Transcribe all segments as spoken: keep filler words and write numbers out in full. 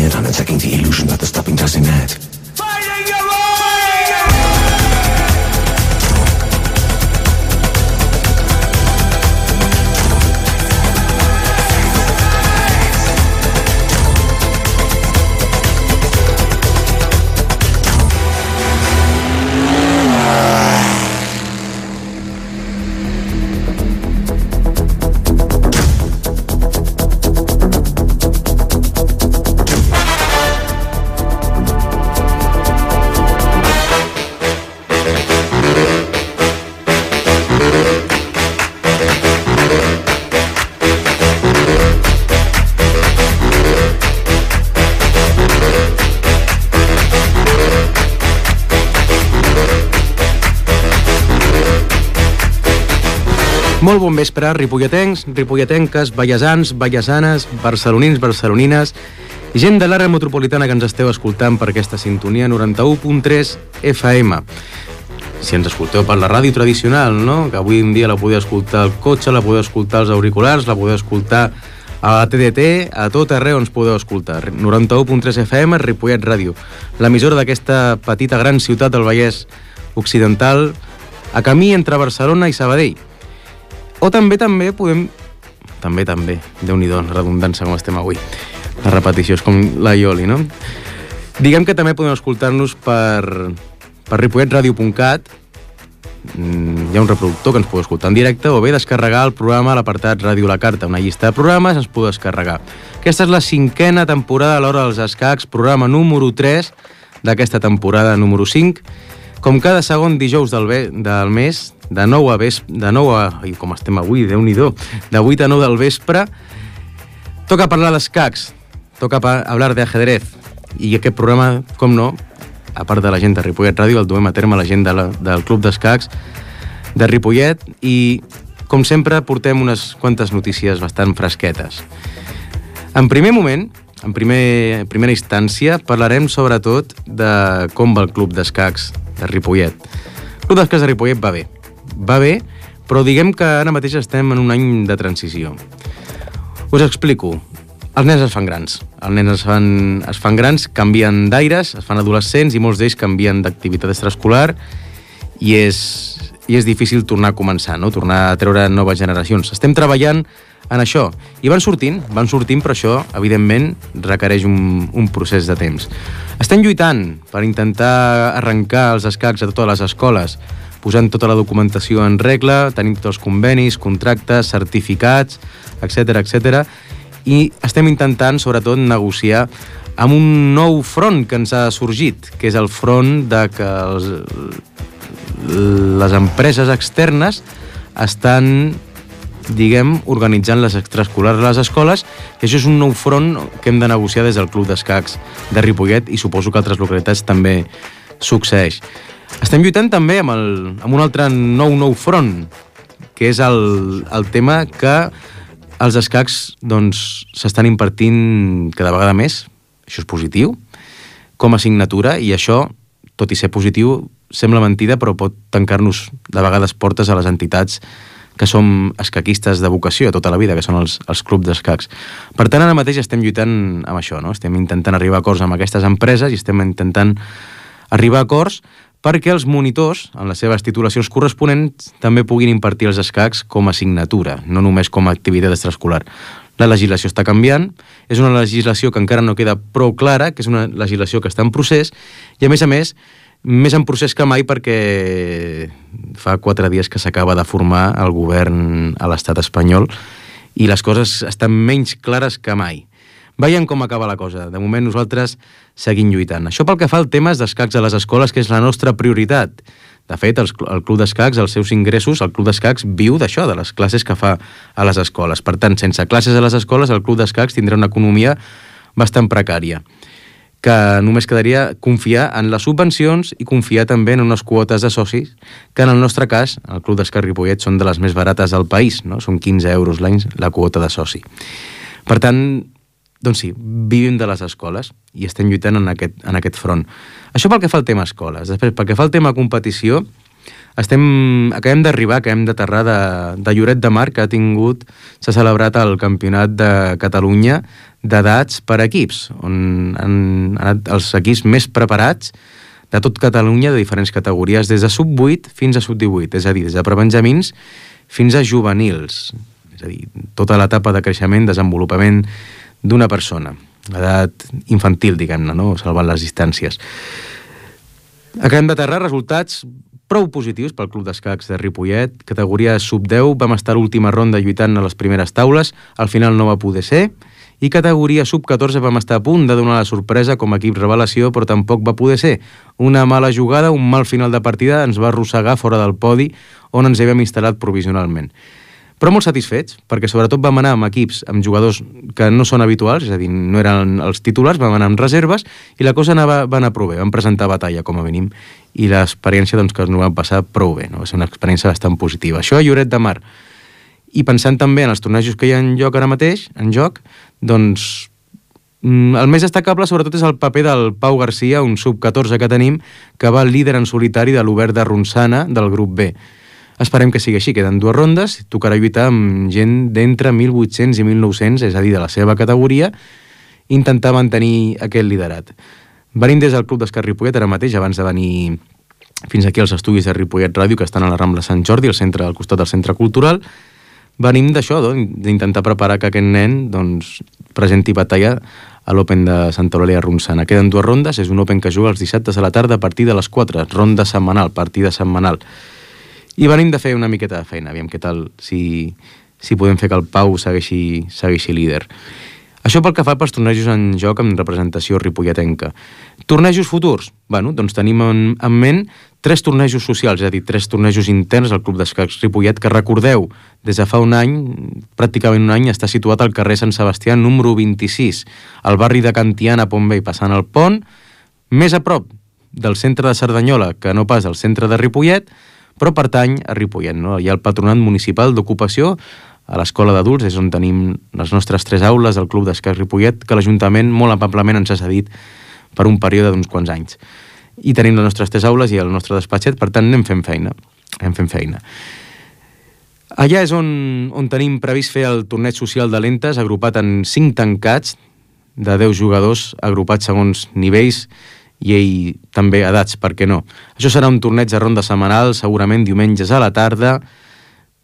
bent on attacking the illusion that the stopping doesn't net. Fighting your way! Molt bon vespre, ripolletens, ripolletenques, vallesans, vallesanes, barcelonins, barcelonines i gent de l'àrea metropolitana que ens esteu escoltant per aquesta sintonia noranta-u punt tres F M. Si ens escolteu per la ràdio tradicional, no? Que avui en dia la podeu escoltar al cotxe, la podeu escoltar als auriculars, la podeu escoltar a la T D T, a tot arreu ens podeu escoltar. noranta-u punt tres F M, Ripollet Ràdio, l'emissora d'aquesta petita gran ciutat del Vallès Occidental, a camí entre Barcelona i Sabadell. O també, també, podem... També, també, Déu-n'hi-do, la redundància com estem avui. La repetició és com la Ioli, no? Diguem que també podem escoltar-nos per, per ripollet ràdio punt cat. Hi ha un reproductor que ens podeu escoltar en directe, o bé descarregar el programa a l'apartat Ràdio La Carta, una llista de programes ens podeu descarregar. Aquesta és la cinquena temporada a l'Hora dels Escacs, programa número tres d'aquesta temporada número cinc. Com cada segon dijous del, ve, del mes, de nou a vespre, de nou a... Ai, com estem avui, Déu-n'hi-do, de vuit a nou del vespre, toca parlar d'escacs, toca parlar d'ajedrez. I aquest programa, com no, a part de la gent de Ripollet Ràdio, el duem a terme la gent de la, del Club d'Escacs de Ripollet i, com sempre, portem unes quantes notícies bastant fresquetes. En primer moment, en primer, primera instància, parlarem sobretot de com va el Club d'Escacs de Ripollet. El Club d'Escacs de Ripollet va bé. Va bé, però diguem que ara mateix estem en un any de transició. Us explico. Els nens es fan grans. Els nens es fan, es fan grans, canvien d'aires, es fan adolescents i molts d'ells canvien d'activitat extraescolar i és, i és difícil tornar a començar, no? Tornar a treure noves generacions. Estem treballant en això. I van sortint, van sortint, però això, evidentment, requereix un, un procés de temps. Estem lluitant per intentar arrencar els escacs a totes les escoles, posant tota la documentació en regla, tenim tots els convenis, contractes, certificats, etcètera, etcètera, i estem intentant, sobretot, negociar amb un nou front que ens ha sorgit, que és el front de que els, les empreses externes estan, diguem, organitzant les extraescolars a les escoles, i això és un nou front que hem de negociar des del Club d'Escacs de Ripollet i suposo que altres localitats també succeeix. Estem lluitant també amb, el, amb un altre nou nou front, que és el, el tema que els escacs doncs, s'estan impartint cada vegada més. Això és positiu, com a assignatura, i això, tot i ser positiu, sembla mentida, però pot tancar-nos de vegades portes a les entitats que som escaquistes de vocació a tota la vida, que són els, els clubs d'escacs. Per tant, ara mateix estem lluitant amb això, no? Estem intentant arribar a acords amb aquestes empreses i estem intentant arribar a acords perquè els monitors, en les seves titulacions corresponents, també puguin impartir els escacs com a assignatura, no només com a activitat extraescolar. La legislació està canviant, és una legislació que encara no queda prou clara, que és una legislació que està en procés, i a més a més, més en procés que mai perquè fa quatre dies que s'acaba de formar el govern a l'estat espanyol i les coses estan menys clares que mai. Veiem com acaba la cosa. De moment nosaltres seguim lluitant. Això pel que fa al temes d'escacs a les escoles, que és la nostra prioritat. De fet, el, el Club d'Escacs, els seus ingressos, el Club d'Escacs viu d'això, de les classes que fa a les escoles. Per tant, sense classes a les escoles, el Club d'Escacs tindrà una economia bastant precària, que només quedaria confiar en les subvencions i confiar també en unes quotes de socis, que en el nostre cas, el Club d'Escacs Ripollet, són de les més barates del país, no? Són quinze euros l'any la quota de soci. Per tant, doncs sí, vivim de les escoles i estem lluitant en aquest, en aquest front. Això pel que fa al tema escoles. Després, pel que fa al tema competició, Estem, acabem d'arribar, acabem d'aterrar de, de Lloret de Mar, que ha tingut, s'ha celebrat el Campionat de Catalunya d'edats per equips, on han anat els equips més preparats de tot Catalunya, de diferents categories, des de sub vuit fins a sub divuit, és a dir, des de prebenjamins fins a juvenils, és a dir, tota l'etapa de creixement, desenvolupament d'una persona, l'edat infantil, diguem-ne, no? Salvant les distàncies. Acabem d'aterrar, resultats prou positius pel Club d'Escacs de Ripollet. Categoria sub deu, vam estar a l'última ronda lluitant a les primeres taules, al final no va poder ser, i categoria sub catorze vam estar a punt de donar la sorpresa com a equip revelació, però tampoc va poder ser. Una mala jugada, un mal final de partida ens va arrossegar fora del podi on ens havíem instal·lat provisionalment. Però molt satisfets, perquè sobretot vam anar amb equips, amb jugadors que no són habituals, és a dir, no eren els titulars, vam anar amb reserves, i la cosa anava, va anar prou bé, vam presentar batalla, com a mínim, i l'experiència doncs, que ens ho vam passar prou bé, no? Va ser una experiència bastant positiva. Això a Lloret de Mar. I pensant també en els tornejos que hi ha en joc ara mateix, en joc, doncs el més destacable sobretot és el paper del Pau Garcia, un sub catorze que tenim, que va líder en solitari de l'Obert de Ronçana del grup B. Esperem que sigui així, queden dues rondes, tocarà lluitar amb gent d'entre mil vuit-cents i mil nou-cents, és a dir, de la seva categoria, intentar mantenir aquest liderat. Venim des del Club d'Escacs Ripollet ara mateix, abans de venir fins aquí als estudis de Ripollet Ràdio, que estan a la Rambla Sant Jordi, al, centre, al costat del Centre Cultural, venim d'això, d'intentar preparar que aquest nen doncs, presenti batalla a l'Open de Santa Eulàlia Ronçana. Queden dues rondes, és un Open que juga els dissabtes a la tarda a partir de les quatre, ronda setmanal, partida setmanal. I venim de fer una miqueta de feina, aviam què tal, si, si podem fer que el Pau segueixi, segueixi líder. Això pel que fa pels tornejos en joc amb representació ripolletenca. Tornejos futurs? Bueno, doncs tenim en, en ment tres tornejos socials, és a dir, tres tornejos interns al Club d'Escacs Ripollet, que recordeu, des de fa un any, pràcticament un any, està situat al carrer Sant Sebastià, número vint-i-sis, al barri de Can Tiana, Pont Vell, passant el pont, més a prop del centre de Cerdanyola, que no pas al centre de Ripollet, però pertany a Ripollet, no? Hi ha el Patronat Municipal d'Ocupació, a l'Escola d'Adults, és on tenim les nostres tres aules del Club d'Escacs Ripollet, que l'Ajuntament molt amablement ens ha cedit per un període d'uns quants anys. I tenim les nostres tres aules i el nostre despatxet, per tant anem fent feina. Anem fent feina. Allà és on, on tenim previst fer el torneig social de lentes, agrupat en cinc tancats de deu jugadors, agrupats segons nivells i ell també edats, per què no? Això serà un torneig de ronda setmanal, segurament diumenges a la tarda.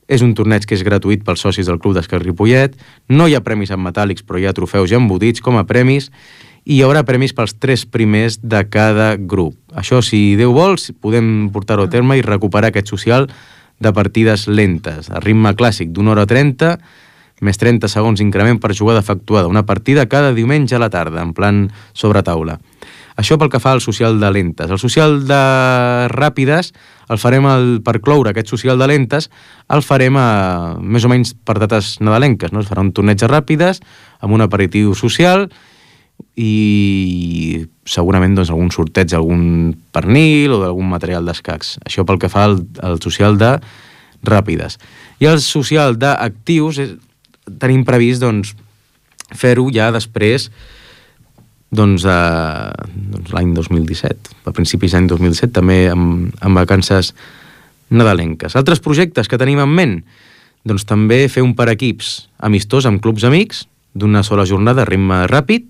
És un torneig que és gratuït pels socis del Club d'Escacs Ripollet. No hi ha premis en metàl·lics, però hi ha trofeus ja embotits com a premis, i hi haurà premis pels tres primers de cada grup. Això, si Déu vol, podem portar-ho a terme i recuperar aquest social de partides lentes, a ritme clàssic d'una hora trenta, més trenta segons increment per jugada efectuada, una partida cada diumenge a la tarda, en plan sobre taula. Això pel que fa al social de lentes. El social de ràpides el farem el, per cloure aquest social de lentes, el farem a, més o menys per dates nadalenques, no? Es farà un torneig de ràpides amb un aperitiu social i segurament doncs, algun sorteig d'algun pernil o d'algun material d'escacs. Això pel que fa al, al social de ràpides. I el social d'actius és, tenim previst doncs, fer-ho ja després doncs, eh, doncs l'any dos mil disset, a principis d'any dos mil disset, també amb, amb vacances nadalenques. Altres projectes que tenim en ment, doncs també fer un per equips amistós amb clubs amics, d'una sola jornada a ritme ràpid,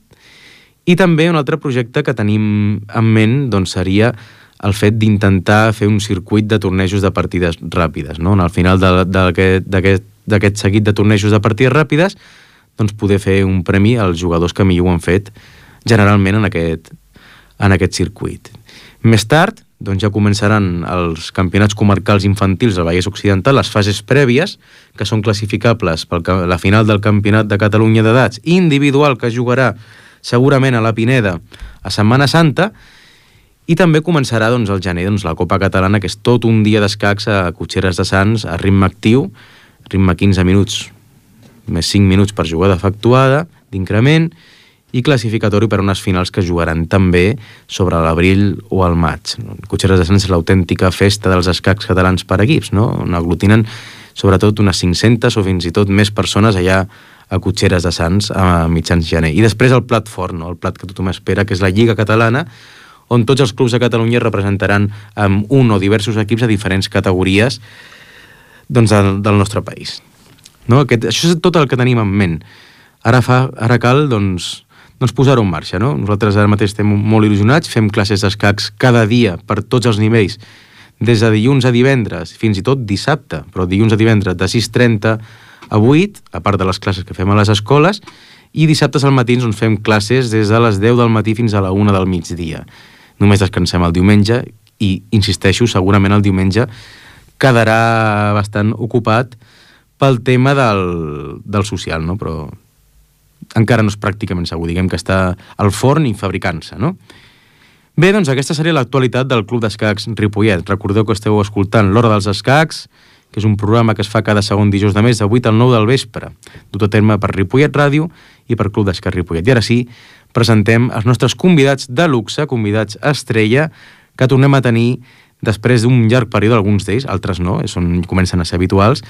i també un altre projecte que tenim en ment doncs, seria el fet d'intentar fer un circuit de tornejos de partides ràpides, no? Al final d'aquest seguit de tornejos de partides ràpides, doncs poder fer un premi als jugadors que millor ho han fet generalment en aquest, en aquest circuit. Més tard, doncs ja començaran els campionats comarcals infantils del Vallès Occidental, les fases prèvies, que són classificables per la final del Campionat de Catalunya d'edats individual, que jugarà segurament a la Pineda a Setmana Santa, i també començarà doncs, al gener doncs, la Copa Catalana, que és tot un dia d'escacs a Cotxeres de Sants, a ritme actiu, ritme quinze minuts, més cinc minuts per jugada efectuada, d'increment, i classificatori per unes finals que jugaran també sobre l'abril o el maig. Cotxeres de Sants és l'autèntica festa dels escacs catalans per equips, no? On aglutinen sobretot unes cinc-centes o fins i tot més persones allà a Cotxeres de Sants a mitjans gener. I després el plat fort, no? El plat que tothom espera, que és la Lliga Catalana, on tots els clubs de Catalunya representaran amb un o diversos equips a diferents categories doncs, del, del nostre país. No? Aquest, això és tot el que tenim en ment. Ara, fa, ara cal doncs, doncs posar-ho en marxa. No? Nosaltres ara mateix estem molt il·lusionats, fem classes d'escacs cada dia per tots els nivells, des de dilluns a divendres, fins i tot dissabte, però dilluns a divendres de sis trenta a vuit, a part de les classes que fem a les escoles, i dissabtes al matí ens fem classes des de les deu del matí fins a la una del migdia. Només descansem el diumenge i, insisteixo, segurament el diumenge quedarà bastant ocupat pel tema del, del social, no? Però encara no és pràcticament segur, diguem que està al forn i fabricant-se, no? Bé, doncs aquesta seria l'actualitat del Club d'Escacs Ripollet. Recordeu que esteu escoltant l'Hora dels Escacs, que és un programa que es fa cada segon dijous de mes de vuit al nou del vespre, dut a terme per Ripollet Ràdio i per Club d'Escacs Ripollet. I ara sí, presentem els nostres convidats de luxe, convidats estrella, que tornem a tenir després d'un llarg període, alguns d'ells, altres no, són, comencen a ser habituals,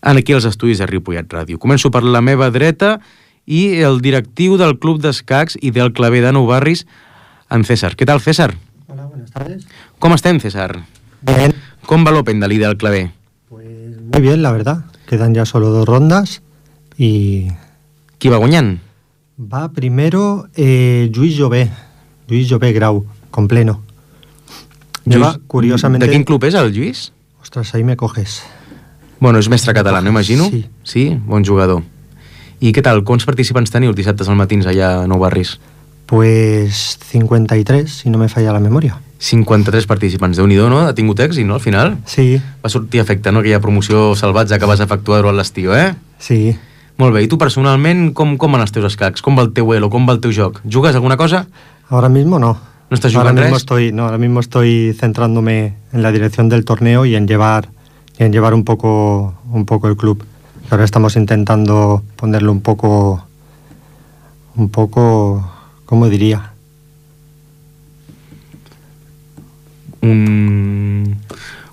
aquí als estudis de Ripollet Ràdio. Començo per la meva dreta i el directiu del Club d'Escacs i del Claver de Nou Barris, en César. Què tal, César? Hola, buenas tardes. Com estem, César? Bien. Com va l'Open de l'I del Claver? Pues muy bien, la verdad. Quedan ya solo dos rondas y... Qui va guanyant? Va primero eh, Lluís Jové, Lluís Jové Grau, con pleno. Lleva, Lluís, curiosamente... De quin club és el Lluís? Ostras, ahí me coges. Bueno, és mestre català, no imagino? Sí. Sí? Bon jugador. I què tal? Quants participants teniu dissabtes al matins allà a Nou Barris? Pues cincuenta y tres, si no me falla la memoria. cinquanta-tres participants. Déu-n'hi-do, no? Ha tingut èxit, no, al final? Sí. Va sortir a efecte, no? Aquella promoció salvatge que vas efectuar durant l'estiu, eh? Sí. Molt bé. I tu personalment, com, com van els teus escacs? Com va el teu elo? Com va el teu joc? Jugues alguna cosa? Ahora mismo no. ¿No estás ahora jugando mismo res? estoy, no, ahora mismo estoy centrándome en la dirección del torneo y en llevar, y en llevar un poco, un poco el club. Ahora estamos intentando ponerle un poco, un poco, ¿cómo diría? Un...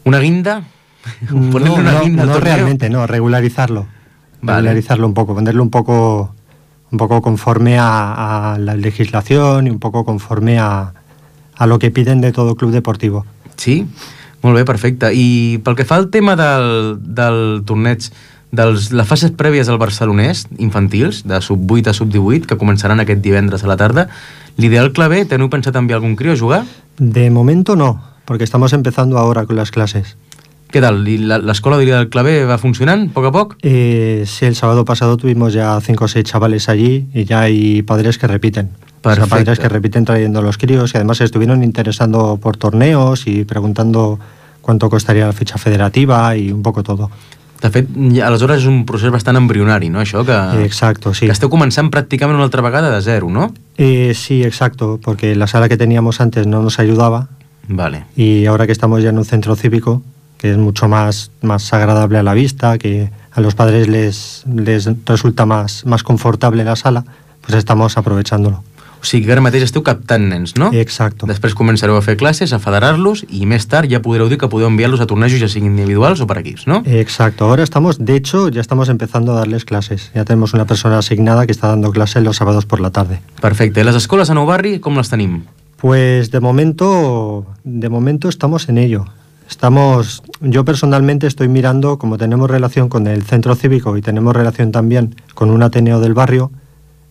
¿Una guinda? ¿Ponerle No, una no, guinda al no torneo? realmente, no, regularizarlo. Vale. Regularizarlo un poco, ponerlo un poco, un poco conforme a, a la legislación y un poco conforme a, a lo que piden de todo club deportivo. Sí? Molt bé, perfecte. I pel que fa al tema del, del torneig, de les fases prèvies al barcelonès, infantils, de sub vuit a sub divuit, que començaran aquest divendres a la tarda, l'ideal Claver, teniu pensat enviar algun crio a jugar? De momento no, porque estamos empezando ahora con las clases. Què tal? I la- l'escola de l'ideal Claver va funcionant, a poc a poc? Eh, sí, el sábado pasado tuvimos ya cinco o seis chavales allí y ya hay padres que repiten. O sea, Perfecto. padres que repiten trayendo los críos y además se estuvieron interesando por torneos y preguntando cuánto costaría la ficha federativa y un poco todo. De fet, ja, aleshores és un procés bastant embrionari, no, això? Que, Eh, exacto, sí. que esteu començant pràcticament una altra vegada de zero, no? Eh, sí, exacto, porque la sala que teníamos antes no nos ayudaba Vale. y ahora que estamos ya en un centro cívico, que es mucho más, más agradable a la vista, que a los padres les, les resulta más, más confortable la sala, pues estamos aprovechándolo. O sigui que ara mateix esteu captant nens, no? Exacto. Després començareu a fer classes, a federar-los i més tard ja podreu dir que podeu enviar-los a tornejos ja siguin individuals o per equips, no? Exacto, ahora estamos, de hecho, ya estamos empezando a darles clases. Ya tenemos una persona asignada que está dando clases los sábados por la tarde. Perfecte. I les escoles a Nou Barri, com les tenim? Pues de momento, de momento estamos en ello. Estamos, yo personalmente estoy mirando, como tenemos relación con el centro cívico y tenemos relación también con un Ateneo del barrio,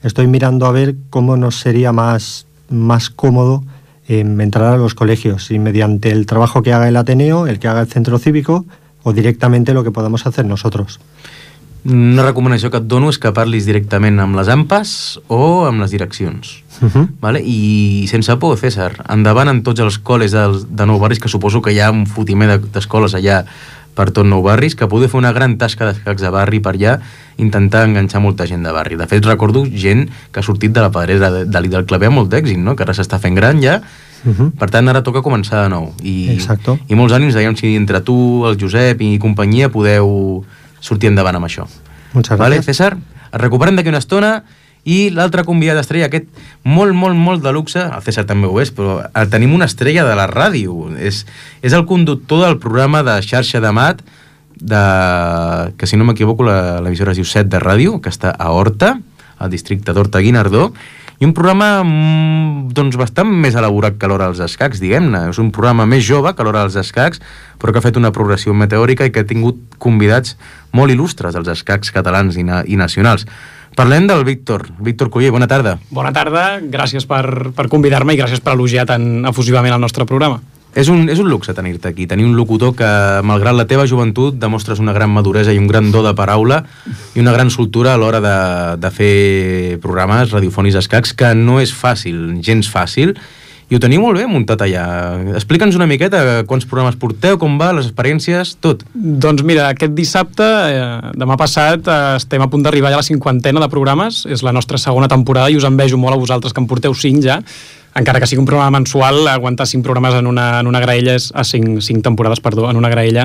estoy mirando a ver cómo nos sería más, más cómodo eh, entrar a los colegios, y mediante el trabajo que haga el Ateneo, el que haga el centro cívico, o directamente lo que podamos hacer nosotros. Una recomanació que et dono és que parlis directament amb les AMPAs o amb les direccions. Uh-huh. Vale? I sense por, César, endavant en tots els col·les de, de Nou Barris, que suposo que hi ha un fotimer de- d'escoles allà per tot Nou Barris, que podeu fer una gran tasca d'escacs de barri per allà, intentar enganxar molta gent de barri. De fet, recordo gent que ha sortit de la pedrera de, de l'I del Claver amb molt d'èxit, no? Que ara s'està fent gran ja. Uh-huh. Per tant, ara toca començar de nou. I, Exacto. I molts ànims, dèiem, si entre tu, el Josep i companyia podeu sortir endavant amb això. Muchas Vale, gracias. César? Es recuperem d'aquí una estona i l'altre convidat estrella, aquest molt, molt, molt de luxe, el César també ho és, però el tenim una estrella de la ràdio. És, és el conductor del programa de xarxa de mat, de, que si no m'equivoco la- l'emissora es diu set de ràdio, que està a Horta, al districte d'Horta-Guinardó, i un programa doncs, bastant més elaborat que l'Hora dels Escacs, diguem-ne. És un programa més jove que l'Hora dels Escacs, però que ha fet una progressió meteòrica i que ha tingut convidats molt il·lustres dels escacs catalans i, na i nacionals. Parlem del Víctor. Víctor Culler, bona tarda. Bona tarda, gràcies per, per convidar-me i gràcies per elogiar tan efusivament el nostre programa. És un, és un luxe tenir-te aquí, tenir un locutor que, malgrat la teva joventut, demostres una gran maduresa i un gran do de paraula i una gran soltura a l'hora de, de fer programes radiofònics d'escacs, que no és fàcil, gens fàcil, i ho teniu molt bé muntat allà. Explica'ns una miqueta quants programes porteu, com va, les experiències, tot. Doncs mira, aquest dissabte, eh, demà passat, eh, estem a punt d'arribar ja a la cinquantena de programes, és la nostra segona temporada i us envejo molt a vosaltres que en porteu cinc ja, encara que sigui un programa mensual, aguantar cinc programes en una, en una graella, és, a cinc, cinc temporades, perdó, en una graella,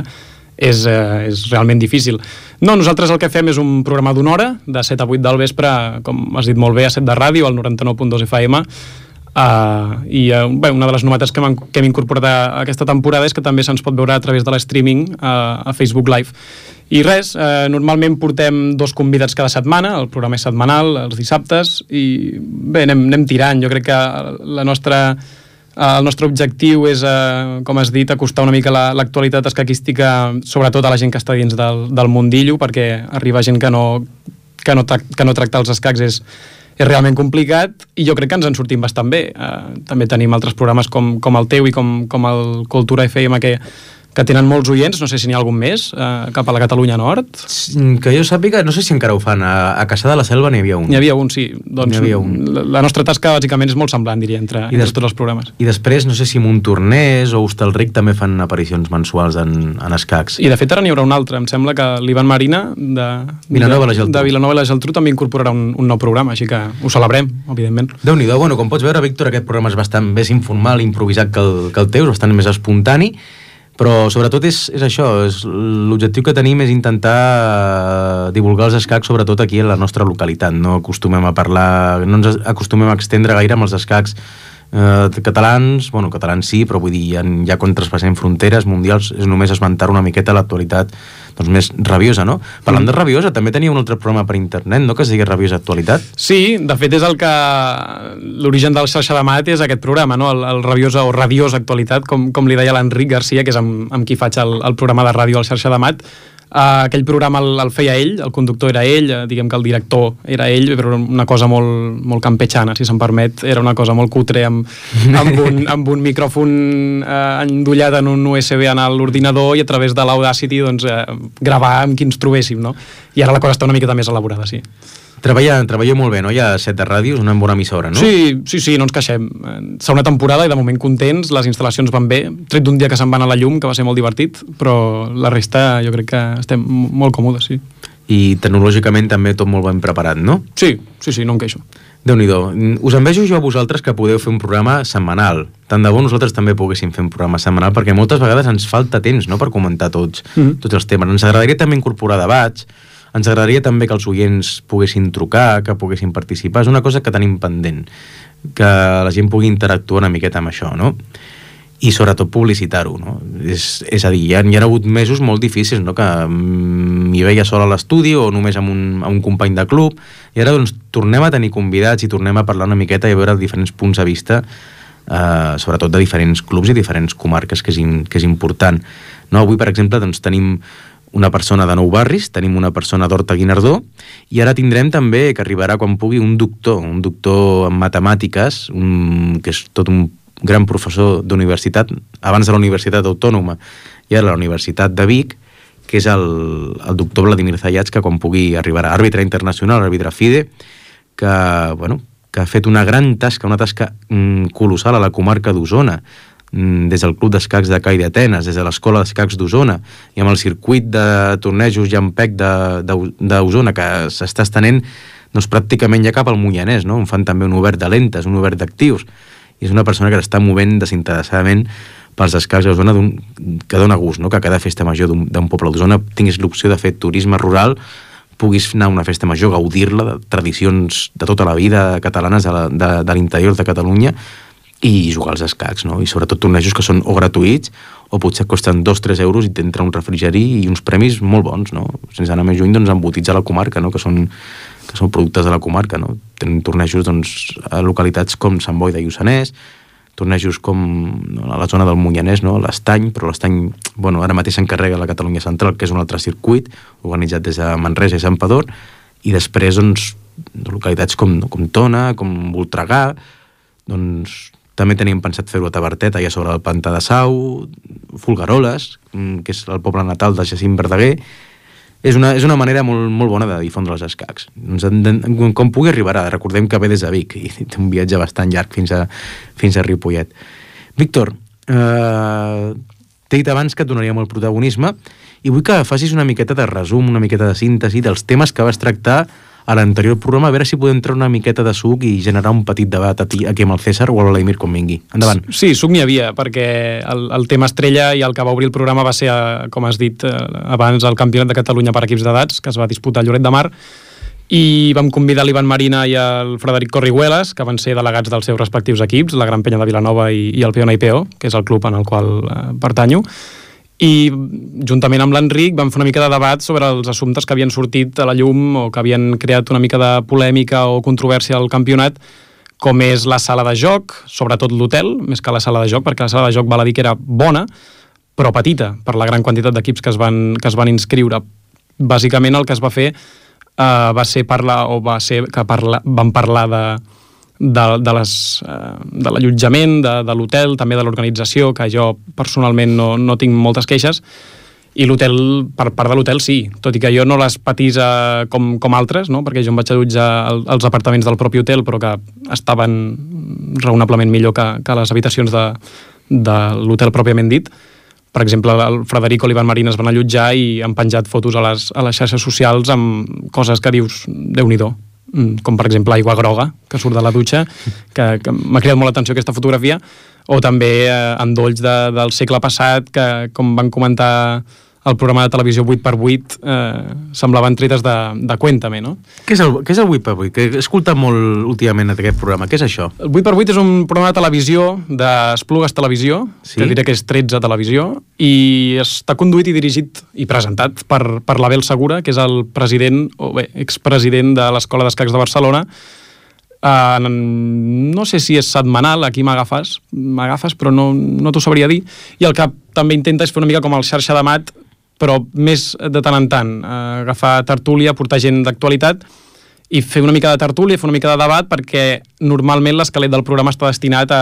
és, eh, és realment difícil. No, nosaltres el que fem és un programa d'una hora, de set a vuit del vespre, com has dit molt bé, a set de ràdio, al noranta-nou punt dos F M, uh, i uh, bé, una de les novetats que hem, que hem incorporat a, a aquesta temporada és que també se'ns pot veure a través de l'streaming uh, a Facebook Live. I res, eh, normalment portem dos convidats cada setmana, el programa és setmanal, els dissabtes, i bé, anem, anem tirant. Jo crec que la nostra, eh, el nostre objectiu és, eh, com has dit, acostar una mica l'actualitat la, escaquística, sobretot a la gent que està dins del, del mundillo, perquè arriba gent que no, que no, que no tracta els escacs és, és realment complicat, i jo crec que ens en sortim bastant bé. Eh, també tenim altres programes com, com el teu i com, com el Cultura F M, que que tenen molts oients, no sé si n'hi ha algun més, eh, cap a la Catalunya Nord. Que jo sàpiga, no sé si encara ho fan, a, a Caçà de la Selva n'hi havia un. N'hi havia un, sí. Doncs havia un. La, la nostra tasca, bàsicament, és molt semblant, diria, entre, entre tots els programes. I després, no sé si Montornès o Hostalric també fan aparicions mensuals en, en escacs. I, de fet, ara n'hi haurà un altre. Em sembla que l'Ivan Marina, de Vilanova i la Geltrú, de Vilanova i la Geltrú també incorporarà un, un nou programa, així que ho celebrem, evidentment. Déu-n'hi-do. Bueno, com pots veure, Víctor, aquest programa és bastant més informal, improvisat que el, que el teu, és bastant més espontani, però sobretot és, és això, és, l'objectiu que tenim és intentar divulgar els escacs sobretot aquí en la nostra localitat. No acostumem a parlar, no ens acostumem a extendre gaire amb els escacs eh, catalans, bueno, catalans sí, però vull dir, ja, ja quan traspassem fronteres mundials és només esmentar una miqueta l'actualitat doncs més rabiosa, no? Parlant mm. de rabiosa, també tenia un altre programa per internet, no?, que es digui Rabiosa Actualitat. Sí, de fet és el que l'origen del Xarxa de Mat és aquest programa, no?, el, el Rabiosa o Radiosa Actualitat, com, com li deia l'Enric Garcia, que és amb, amb qui faig el, el programa de ràdio al Xarxa de Mat. Uh, aquell programa el, el feia ell, el conductor era ell, uh, diguem que el director era ell, però una cosa molt, molt campechana, si se'm permet, era una cosa molt cutre, amb, amb, un, amb un micròfon uh, endollat en un U S B en l'ordinador i a través de l'Audacity doncs, uh, gravar amb qui ens trobéssim, no? I ara la cosa està una miqueta més elaborada, sí. Treballa, treballeu molt bé, no? Hi ha set de ràdios, una bona emissora, no? Sí, sí, sí, no ens queixem. Segona temporada i de moment contents, les instal·lacions van bé, tret d'un dia que se'n van a la llum, que va ser molt divertit, però la resta jo crec que estem molt còmodes, sí. I tecnològicament també tot molt ben preparat, no? Sí, sí, sí, no em queixo. Déu-n'hi-do. Us envejo jo a vosaltres que podeu fer un programa setmanal. Tant de bo nosaltres també poguéssim fer un programa setmanal, perquè moltes vegades ens falta temps, no?, per comentar tots, mm-hmm. tots els temes. Ens agradaria també incorporar debats, ens agradaria també que els oients poguessin trucar, que poguessin participar. És una cosa que tenim pendent, que la gent pugui interactuar una miqueta amb això, no? I sobretot publicitar-ho, no? És, és a dir, hi ha, hi ha hagut mesos molt difícils, no?, que m'hi veia sol a l'estudi o només amb un, amb un company de club, i ara doncs tornem a tenir convidats i tornem a parlar una miqueta i a veure diferents punts de vista, eh, sobretot de diferents clubs i diferents comarques, que és, in, que és important. No? Avui, per exemple, doncs tenim una persona de Nou Barris, tenim una persona d'Horta-Guinardó, i ara tindrem també, que arribarà quan pugui, un doctor, un doctor en matemàtiques, un, que és tot un gran professor d'universitat, abans de la Universitat Autònoma i ara la Universitat de Vic, que és el, el doctor Vladimir Zayats, que quan pugui arribarà, àrbitre internacional, àrbitre FIDE, que, bueno, que ha fet una gran tasca, una tasca mm, colossal a la comarca d'Osona, des del Club d'Escacs de Cai d'Atenes, des de l'Escola d'Escacs d'Osona, i amb el circuit de tornejos Llampec d'Osona, que s'està estenent doncs, pràcticament ja cap al Moianès, no? On fan també un obert de lentes, un obert d'actius, i és una persona que s'està movent desinteressadament pels escacs d'Osona, que dona gust, no? Que a cada festa major d'un poble d'Osona tinguis l'opció de fer turisme rural, puguis anar a una festa major, gaudir-la de tradicions de tota la vida catalanes de, la, de, de l'interior de Catalunya, i jugar als escacs, no? I sobretot tornejos que són o gratuïts o potser costen dos o tres euros i t'entra un refrigeri i uns premis molt bons, no? Sense anar més lluny, doncs embotits a la comarca, no? Que són, que són productes de la comarca, no? Tenen tornejos doncs, a localitats com Sant Boi de Lluçanès, tornejos com no, a la zona del Monyanès, no? l'Estany, però l'Estany, bueno, ara mateix s'encarrega la Catalunya Central, que és un altre circuit, organitzat des de Manresa i Santpedor, i després, doncs, localitats com, com Tona, com Voltregà, doncs, també teníem pensat fer-ho a Tavertet, allà sobre el Pantà de Sau, Folgueroles, que és el poble natal de Jacint Verdaguer. És una, és una manera molt, molt bona de difondre els escacs. Doncs, com pugui arribarà, recordem que ve des de Vic i té un viatge bastant llarg fins a, fins a Ripollet. Víctor, eh, t'he dit abans que et donaríem el protagonisme i vull que facis una miqueta de resum, una miqueta de síntesi dels temes que vas tractar a l'anterior programa, a veure si podem treure una miqueta de suc i generar un petit debat aquí amb el César o el Vladimir quan vingui. Endavant. Sí, suc n'hi havia, perquè el, el tema estrella i el que va obrir el programa va ser, com has dit abans, el Campionat de Catalunya per equips d'edats, que es va disputar a Lloret de Mar, i vam convidar l'Ivan Marina i el Frederic Corriguelas, que van ser delegats dels seus respectius equips, la Gran Penya de Vilanova i, i el Peona I P O, que és el club en el qual eh, pertanyo, i juntament amb l'Enric vam fer una mica de debat sobre els assumptes que havien sortit a la llum o que havien creat una mica de polèmica o controvèrsia al campionat, com és la sala de joc, sobretot l'hotel, més que la sala de joc, perquè la sala de joc val a dir que era bona, però petita, per la gran quantitat d'equips que es van, que es van inscriure. Bàsicament el que es va fer eh, va ser parlar, o va ser que parla, van parlar de de, de, les, eh, de l'allotjament, de, de l'hotel, també de l'organització, que jo personalment no, no tinc moltes queixes, i l'hotel, per part de l'hotel sí, tot i que jo no les patís eh, com, com altres, no? Perquè jo em vaig allotjar el, els apartaments del propi hotel, però que estaven raonablement millor que, que les habitacions de, de l'hotel pròpiament dit. Per exemple, el Frederico i l'Ivan Marina es van allotjar i han penjat fotos a les, a les xarxes socials amb coses que dius, Déu-n'hi-do, com per exemple aigua groga que surt de la dutxa, que, que m'ha cridat molt l'atenció aquesta fotografia, o també eh, endolls de, del segle passat que, com van comentar el programa de televisió vuit per vuit, eh, semblaven tretes de, de Cuéntame, no? Què és el, què és el vuit per vuit? Que he escoltat molt últimament aquest programa. Què és això? El vuit per vuit és un programa de televisió d'Esplugues Televisió, sí? Que diré que és tretze Televisió, i està conduït i dirigit i presentat per, per l'Abel Segura, que és el president, o bé, expresident de l'Escola d'Escacs de Barcelona. Uh, no sé si és setmanal, aquí m'agafes, m'agafes, però no, no t'ho sabria dir. I el que també intenta és fer una mica com el xarxa de mat, però més de tant en tant, uh, agafar tertúlia, portar gent d'actualitat i fer una mica de tertúlia, fer una mica de debat, perquè normalment l'esquelet del programa està destinat a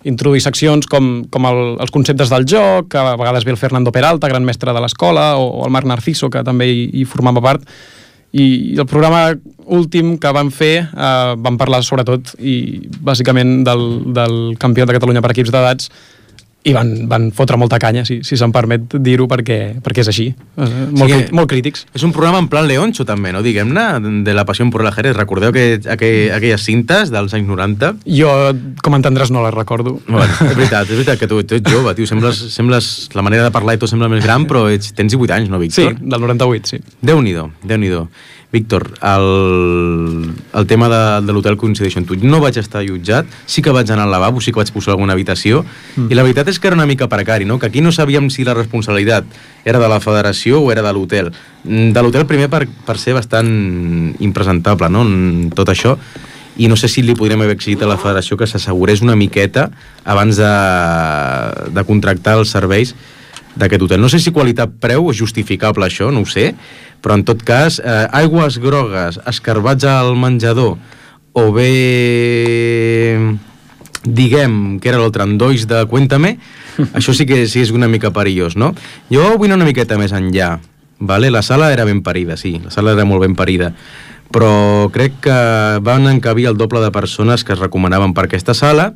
introduir seccions com, com el, els conceptes del joc, que a vegades ve el Fernando Peralta, gran mestre de l'escola, o, o el Marc Narciso, que també hi, hi formava part. I el programa últim que vam fer eh, vam parlar sobretot i bàsicament del, del Campionat de Catalunya per equips d'edats i van, van fotre molta canya, si, si se'm permet dir-ho, perquè, perquè és així, eh, molt, sí, molt crítics. És un programa en plan Leoncho també, no? Diguem-ne, de la passió por el ajedrez. Recordeu que, aquell, aquelles cintes dels anys noranta? Jo, com entendràs, no les recordo. Bueno, és veritat, és veritat que tu, tu ets jove, tio, sembles, sembles, la manera de parlar i tot sembla més gran, però ets, tens divuit anys, no, Víctor? Sí, del noranta-vuit, sí. Déu-n'hi-do, Déu-n'hi-do. Víctor, el, el tema de, de l'hotel coincideixo amb tu. No vaig estar allotjat, sí que vaig anar al lavabo, sí que vaig posar alguna habitació, mm. i la veritat és que era una mica precari, no? Que aquí no sabíem si la responsabilitat era de la federació o era de l'hotel. De l'hotel primer per, per ser bastant impresentable, no?, en tot això, i no sé si li podríem haver exigit a la federació que s'assegurés una miqueta abans de, de contractar els serveis d'aquest hotel. No sé si qualitat-preu és justificable això, no ho sé, però en tot cas, eh, aigües grogues, escarbats al menjador, o bé, diguem, que era l'altre, endolls de Cuéntame, això sí que sí és una mica perillós, no? Jo vull anar una miqueta més enllà, vale? La sala era ben parida, sí, la sala era molt ben parida, però crec que van encabir el doble de persones que es recomanaven per aquesta sala,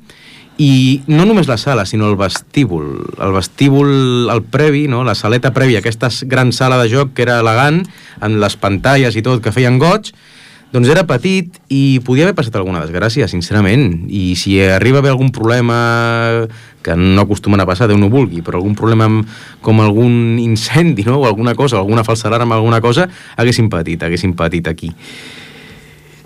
i no només la sala, sinó el vestíbul. El vestíbul, el previ, no? La saleta prèvia, aquesta gran sala de joc que era elegant, amb les pantalles i tot, que feien goig, doncs era petit i podia haver passat alguna desgràcia, sincerament. I si arriba a haver algun problema, que no acostumen a passar, Déu no vulgui, però algun problema amb, com algun incendi, no? O alguna cosa, alguna falsa alarma, alguna cosa, haguessin patit, haguessin patit aquí.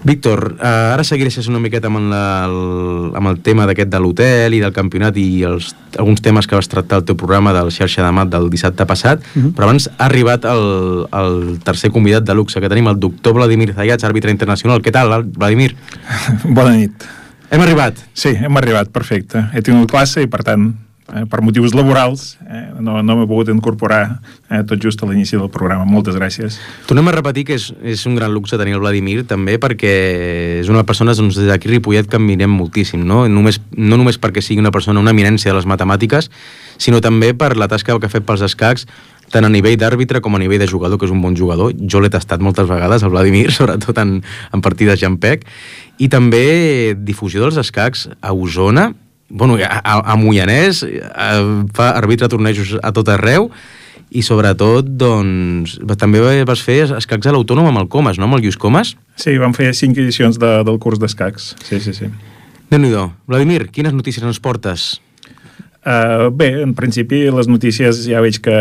Víctor, eh, ara seguireixes una miqueta amb, la, el, amb el tema d'aquest de l'hotel i del campionat i els, alguns temes que vas tractar al teu programa del Xarxa de Mat del dissabte passat, uh-huh. però abans ha arribat el, el tercer convidat de luxe que tenim, el doctor Vladimir Zayats, àrbitre internacional. Què tal, Vladimir? Bona nit. Hem arribat? Sí, hem arribat, perfecte. He tingut classe i, per tant, eh, per motius laborals, eh, no, no m'he pogut incorporar eh, tot just a l'inici del programa. Moltes gràcies. Tornem a repetir que és, és un gran luxe tenir el Vladimir, també, perquè és una persona, doncs, des d'aquí Ripollet que admirem moltíssim, no? Només, no només perquè sigui una persona, una eminència de les matemàtiques, sinó també per la tasca que ha fet pels escacs, tant a nivell d'àrbitre com a nivell de jugador, que és un bon jugador. Jo l'he tastat moltes vegades, el Vladimir, sobretot en, en partides llampec, i també difusió dels escacs a Osona, bueno, a, a Moianès, a, fa arbitre tornejos a tot arreu, i sobretot, doncs, també vas fer escacs a l'Autònom amb el Comas, no?, amb el Lluís Comas? Sí, vam fer cinc edicions de, del curs d'escacs, sí, sí, sí. Déu-n'hi-do. Vladimir, quines notícies ens portes? Uh, bé, en principi les notícies ja veig que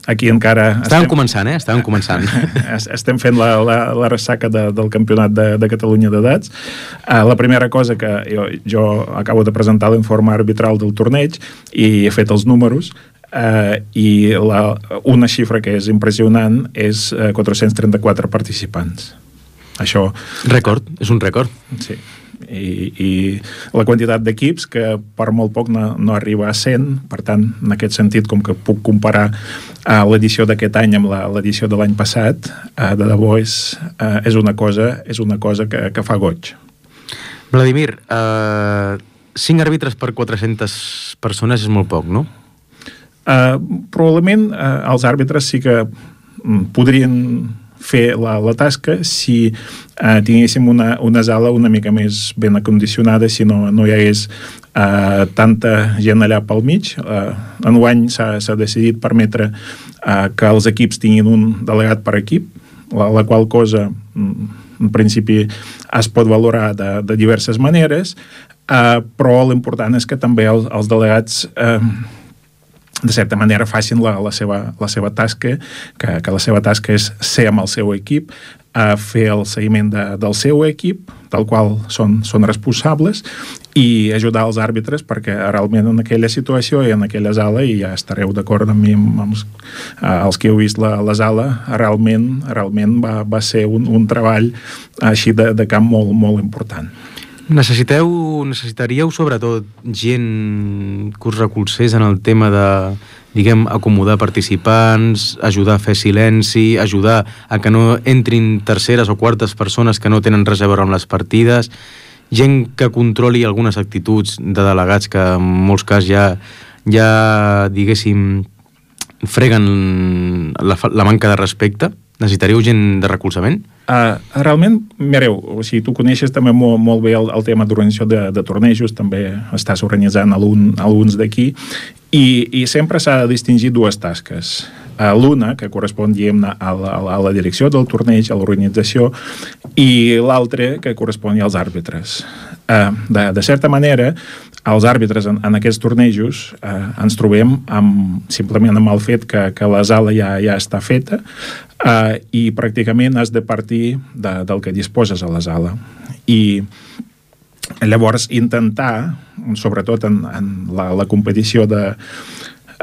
aquí encara... Estàvem estem... començant, eh? Estàvem començant. Estem fent la, la, la ressaca de, del campionat de, de Catalunya d'edats. Uh, la primera cosa que jo, jo acabo de presentar l'informe arbitral del torneig i he fet els números, uh, i la, una xifra que és impressionant és uh, quatre-cents trenta-quatre participants. Això... Rècord, és un rècord. Sí. I, i la quantitat d'equips que per molt poc no, no arriba a cent, per tant, en aquest sentit, com que puc comparar uh, l'edició d'aquest any amb l'edició de l'any passat, uh, de debò és, uh, és una cosa, és una cosa que, que fa goig. Vladimir, uh, cinc àrbitres per quatre-centes persones és molt poc, no? Uh, probablement uh, els àrbitres sí que um, podrien fer la, la tasca si eh, tinguéssim una, una sala una mica més ben acondicionada, si no, no hi hagués eh, tanta gent allà pel mig. Eh, enguany s'ha, s'ha decidit permetre eh, que els equips tinguin un delegat per equip, la, la qual cosa en principi es pot valorar de, de diverses maneres, eh, però l'important és que també els, els delegats eh, de certa manera facin la, la, seva, la seva tasca, que, que la seva tasca és ser amb el seu equip, a fer el seguiment de, del seu equip, del qual són, són responsables, i ajudar els àrbitres perquè realment en aquella situació i en aquella sala, i ja estareu d'acord amb mi, amb els, els que heu vist la, la sala, realment, realment va, va ser un, un treball així de, de camp molt, molt important. Necessiteu, necessitaríeu sobretot gent que us recolzés en el tema de, diguem, acomodar participants, ajudar a fer silenci, ajudar a que no entrin terceres o quartes persones que no tenen res a veure amb les partides, gent que controli algunes actituds de delegats que en molts casos ja, ja diguéssim, freguen la, la manca de respecte. Necessitaríeu gent de recolzament? Uh, realment, mireu, o sigui, tu coneixes també molt, molt bé el, el tema d'organització de, de tornejos, també estàs organitzant algun, alguns d'aquí, i, i sempre s'ha de distingir dues tasques. Uh, l'una, que correspon, diguem-ne, a, a, a la direcció del torneig, a l'organització, i l'altra, que correspon als àrbitres. Uh, de, de certa manera, els àrbitres en, en aquests tornejos eh, ens trobem amb, simplement amb el fet que, que la sala ja, ja està feta eh, i pràcticament has de partir de, del que disposes a la sala. I llavors intentar, sobretot en, en la, la competició de,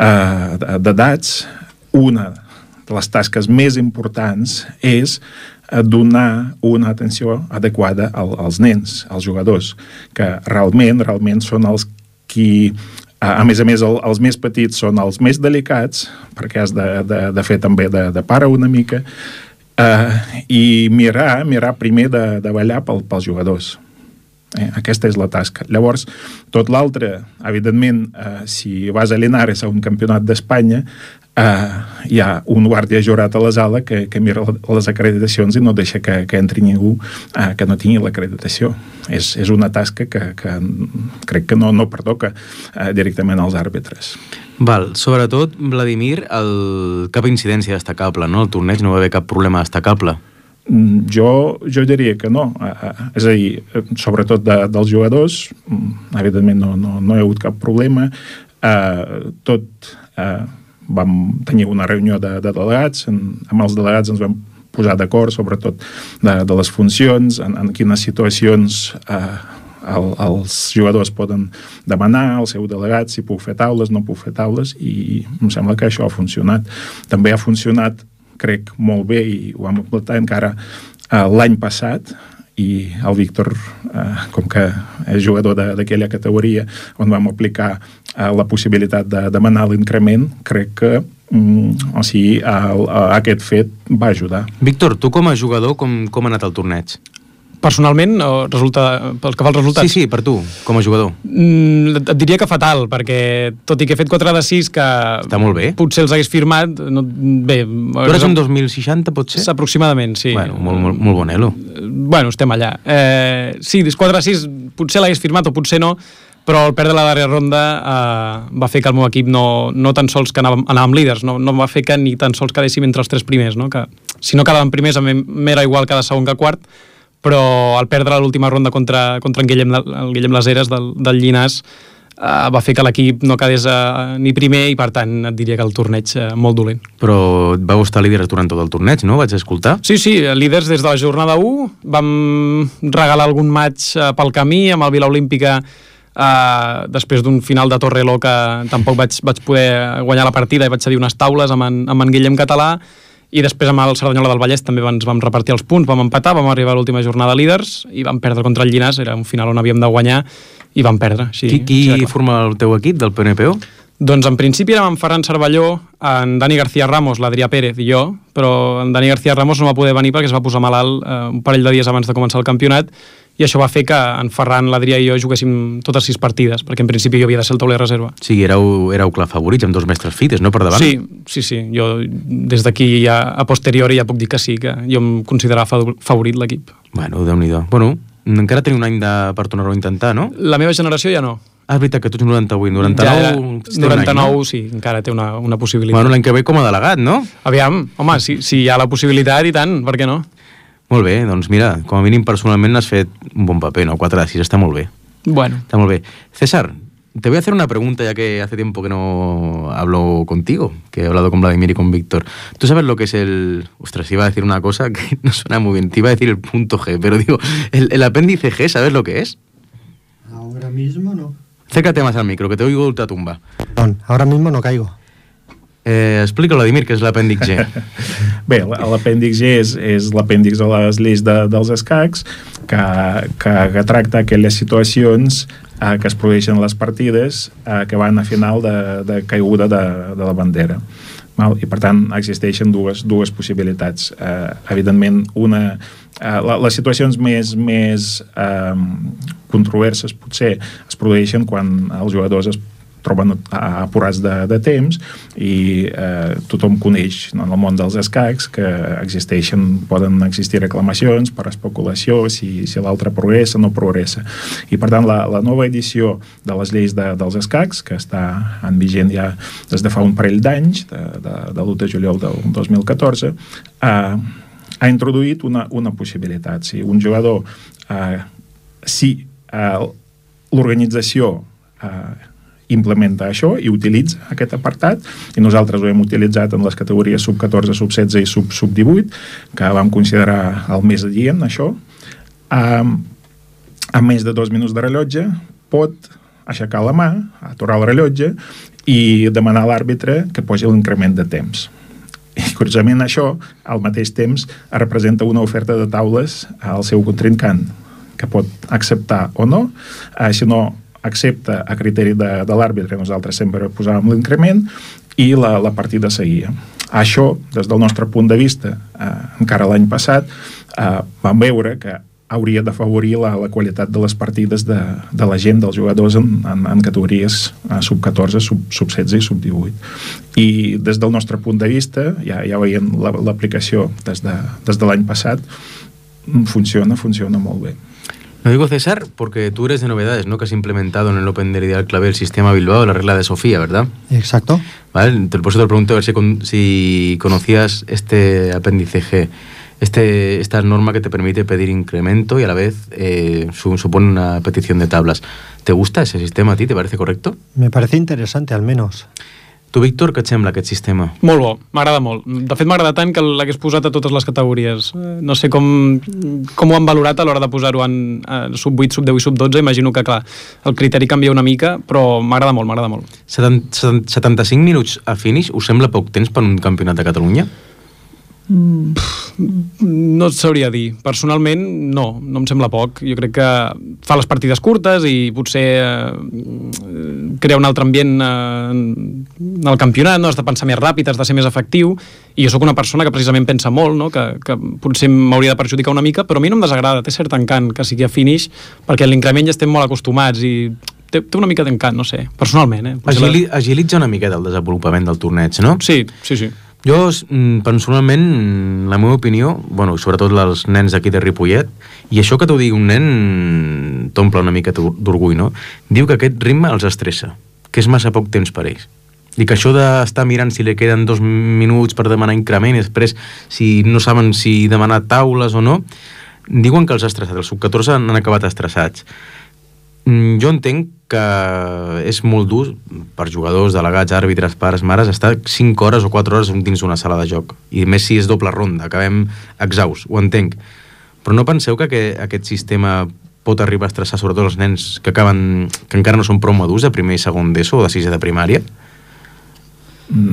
eh, d'edats, una de les tasques més importants és donar una atenció adequada als nens, als jugadors, que realment, realment són els qui, a més a més, els més petits són els més delicats, perquè has de, de, de fer també de, de pare una mica, eh, i mirar, mirar primer de, de ballar pel, pels jugadors. Eh, aquesta és la tasca. Llavors, tot l'altre, evidentment, eh, si vas a Linares a un campionat d'Espanya, Uh, hi ha un guàrdia jurat a la sala que, que mira les acreditacions i no deixa que, que entri ningú uh, que no tingui l'acreditació. És, és una tasca que, que crec que no, no pertoca uh, directament als àrbitres. Val, sobretot, Vladimir, el... cap incidència destacable, no? El torneig no va haver cap problema destacable. Jo, jo diria que no. Uh, uh, és a dir, sobretot de, dels jugadors, evidentment no, no, no hi ha hagut cap problema. Uh, tot... Uh, vam tenir una reunió de, de delegats, en, amb els delegats ens vam posar d'acord, sobretot de, de les funcions, en, en quines situacions eh, el, els jugadors poden demanar al seu delegat si puc fer taules, no puc fer taules, i em sembla que això ha funcionat. També ha funcionat, crec, molt bé, i ho vam aplicar encara eh, l'any passat, i el Víctor, eh, com que és jugador d'aquella categoria on vam aplicar eh, la possibilitat de demanar l'increment, crec que mm, o sigui, el, aquest fet va ajudar. Víctor, tu com a jugador, com, com ha anat el torneig? Personalment, o resulta, pel que fa als resultats? Sí, sí, per tu, com a jugador. Mm, et diria que fatal, perquè tot i que he fet quatre de sis, que està molt bé. Potser els hagués firmat, no, bé... Tu eres un dos mil seixanta, pot ser? Aproximadament, sí. Bueno, molt, molt, molt bon elo. Bueno, estem allà. Eh, sí, quatre de sis potser l'hagués firmat o potser no, però el perdre la darrera ronda eh, va fer que el meu equip no, no tan sols que anàvem, anàvem líders, no, no va fer que ni tan sols quedéssim entre els tres primers, no? Que si no quedàvem primers m'era igual cada segon que quart, però al perdre l'última ronda contra, contra en Guillem, el Guillem Laseres del, del Llinàs eh, va fer que l'equip no quedés eh, ni primer i per tant et diria que el torneig eh, molt dolent. Però et vau estar líders durant tot el torneig, no? Vaig escoltar. Sí, sí, líders des de la jornada u, vam regalar algun match eh, pel camí amb el Vila Olímpica eh, després d'un final de Torreló que tampoc vaig, vaig poder guanyar la partida i vaig cedir unes taules amb en, amb en Guillem Català, i després amb el Cerdanyola del Vallès també ens vam repartir els punts, vam empatar, vam arribar a l'última jornada líders i vam perdre contra el Llinàs, era un final on havíem de guanyar i vam perdre. Així, qui qui així forma el teu equip del P N P O? Doncs en principi érem en Ferran Cervelló, en Dani García Ramos, l'Adrià Pérez i jo, però en Dani García Ramos no va poder venir perquè es va posar malalt eh, un parell de dies abans de començar el campionat, i això va fer que en Ferran, l'Adrià i jo juguéssim totes sis partides, perquè en principi jo havia de ser el tauler reserva. Sí, éreu, éreu clar favorits, amb dos mestres fites, no, per davant? Sí, sí, sí. Jo des d'aquí ja, a posteriori ja puc dir que sí, que jo em considerava favorit l'equip. Bueno, Déu-n'hi-do. Bueno, encara teniu un any de, per tornar-ho a intentar, no? La meva generació ja no. Ah, és veritat que tu ets noranta-vuit, noranta-nou... Ja, noranta-nou, any, no? Sí, encara té una, una possibilitat. Bueno, l'any que ve com a delegat, no? Aviam, home, si, si hi ha la possibilitat i tant, per què no? Molt bé, doncs mira, com a mínim personalment n'has fet un bon paper, ¿no? cuatro de sis, está muy bien. Bueno. Está muy bien. César, te voy a hacer una pregunta, ya que hace tiempo que no hablo contigo, que he hablado con Vladimir y con Víctor. ¿Tú sabes lo que es el... Ostras, iba a decir una cosa que no suena muy bien, te iba a decir el punto G, pero digo, el, el apéndice G, ¿sabes lo que es? Ahora mismo no. Acércate más al micro, que te oigo ultratumba. Perdón, ahora mismo no caigo. Eh, explica, Vladimir, què és l'apèndix G. Bé, l'apèndix G és, és l'apèndix de les lleis de, dels escacs que, que, que tracta aquelles situacions eh, que es produeixen a les partides eh, que van a final de, de caiguda de, de la bandera. Val? I per tant existeixen dues, dues possibilitats. Eh, evidentment, una, eh, la, les situacions més, més eh, controverses potser es produeixen quan els jugadors es troben apurats de, de temps i eh, tothom coneix, no, en el món dels escacs que existeixen, poden existir reclamacions per especulació si, si l'altre progressa o no progressa. I per tant la, la nova edició de les lleis de, dels escacs, que està en vigent ja des de fa un parell d'anys, de, de, de l'u de juliol del dos mil catorze, eh, ha introduït una, una possibilitat. Si un jugador, eh, si eh, l'organització eh, implementa això i utilitza aquest apartat, i nosaltres ho hem utilitzat en les categories sub catorze, sub setze i sub, sub divuit, que vam considerar el més adient, això, um, a més de dos minuts de rellotge pot aixecar la mà, aturar el rellotge i demanar a l'àrbitre que posi l'increment de temps. I curiosament això, al mateix temps, representa una oferta de taules al seu contrincant, que pot acceptar o no, eh, si no accepta a criteri de, de l'àrbitre, nosaltres sempre posàvem l'increment i la, la partida seguia. Això, des del nostre punt de vista, eh, encara l'any passat, eh, vam veure que hauria d'afavorir la, la qualitat de les partides de, de la gent, dels jugadors en, en, en categories eh, sub catorze, sub, sub setze i sub divuit. I des del nostre punt de vista, ja, ja veiem l'aplicació des de, des de l'any passat, funciona, funciona molt bé. Lo digo, César, porque tú eres de novedades, ¿no? Que has implementado en el Open del Ideal Clavé el sistema Bilbao, la regla de Sofía, ¿verdad? Exacto. Vale, por eso te pregunto a ver si, con, si conocías este apéndice G, este, esta norma que te permite pedir incremento y a la vez eh, su, supone una petición de tablas. ¿Te gusta ese sistema a ti? ¿Te parece correcto? Me parece interesante, al menos. Tu, Víctor, què et sembla aquest sistema? Molt bo, m'agrada molt. De fet, m'agrada tant que l'hagués posat a totes les categories. No sé com, com ho han valorat a l'hora de posar-ho en eh, sub vuit, sub deu i sub dotze. Imagino que, clar, el criteri canvia una mica, però m'agrada molt, m'agrada molt. setanta-cinc minuts a finish, us sembla poc temps per un campionat de Catalunya? Mm, no et sabria dir. Personalment, no, no em sembla poc. Jo crec que fa les partides curtes i potser eh, crea un altre ambient eh, en el campionat, no? Has de pensar més ràpid, has de ser més efectiu, i jo sóc una persona que precisament pensa molt, no? que, que potser m'hauria de perjudicar una mica, però a mi no em desagrada, té cert encant que sigui a finish, perquè a l'increment ja estem molt acostumats i té, té una mica d'encant, no sé, personalment. Eh? Agili, la... Agilitza una miqueta el desenvolupament del torneig, no? Sí, sí, sí. Jo, personalment, la meva opinió, bueno, sobretot els nens d'aquí de Ripollet, i això que t'ho digui un nen t'omple una mica d'orgull, no? Diu que aquest ritme els estressa, que és massa poc temps per ells. I que això d'estar mirant si li queden dos minuts per demanar increment i després, si no saben si demanar taules o no, diuen que els ha estressat. Els sub catorze han acabat estressats. Jo entenc que és molt dur per jugadors, delegats, àrbitres, pares, mares, estar cinc hores o quatre hores dins d'una sala de joc. I més si és doble ronda, acabem exhausts, ho entenc. Però no penseu que aquest sistema pot arribar a estressar sobretot els nens que acaben, que encara no són prou madurs de primer i segon d'ESO o de sisè de primària?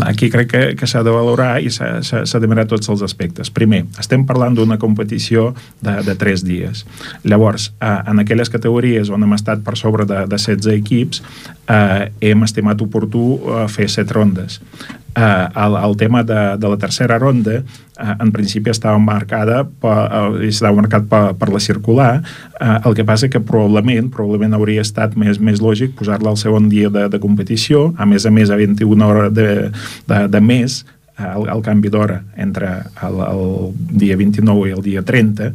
Aquí crec que, que s'ha de valorar i s'ha de mirar tots els aspectes. Primer, estem parlant d'una competició de, de tres dies. Llavors, eh, en aquelles categories on hem estat per sobre de, de setze equips, eh, hem estimat oportú eh, fer set rondes. Eh, el, el tema de, de la tercera ronda eh, en principi estava marcada per, eh, estava marcat per, per la circular, eh, el que passa que probablement probablement hauria estat més, més lògic posar-la al segon dia de, de competició, a més a més a vint-i-una hores de, de, de més el, el canvi d'hora entre el, el dia vint-i-nou i el dia trenta.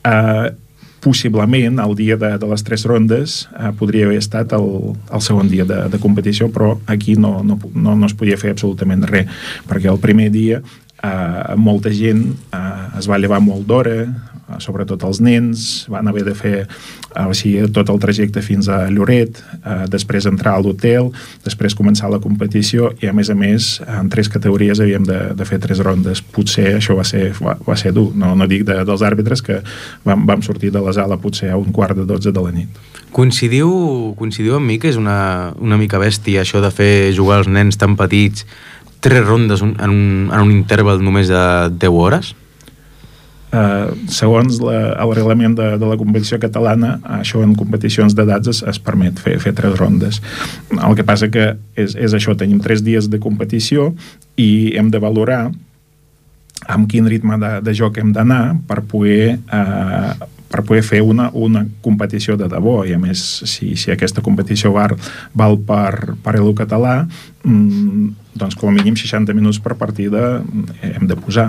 eh, possiblement el dia de, de les tres rondes eh, podria haver estat el, el segon dia de, de competició, però aquí no, no, no, no es podia fer absolutament res, perquè el primer dia eh, molta gent eh, es va llevar molt d'hora, eh, sobretot els nens, van haver de fer eh, o sigui, tot el trajecte fins a Lloret, eh, després entrar a l'hotel, després començar la competició i a més a més en tres categories havíem de, de fer tres rondes. Potser això va ser, va, va ser dur, no, no dic de, dels àrbitres que vam, vam sortir de la sala potser a un quart de dotze de la nit. Coincidiu, coincidiu amb mi que és una, una mica bèstia això de fer jugar els nens tan petits tres rondes en un, en un interval només de deu hores? Uh, segons la, el reglament de, de la competició catalana, això en competicions d'edats es, es permet fer, fer tres rondes. El que passa que és, és això, tenim tres dies de competició i hem de valorar amb quin ritme de, de joc hem d'anar per poder uh, per poder fer una, una competició de debò, i a més si, si aquesta competició val, val per, per el català, mmm, doncs com a mínim seixanta minuts per partida hem de posar,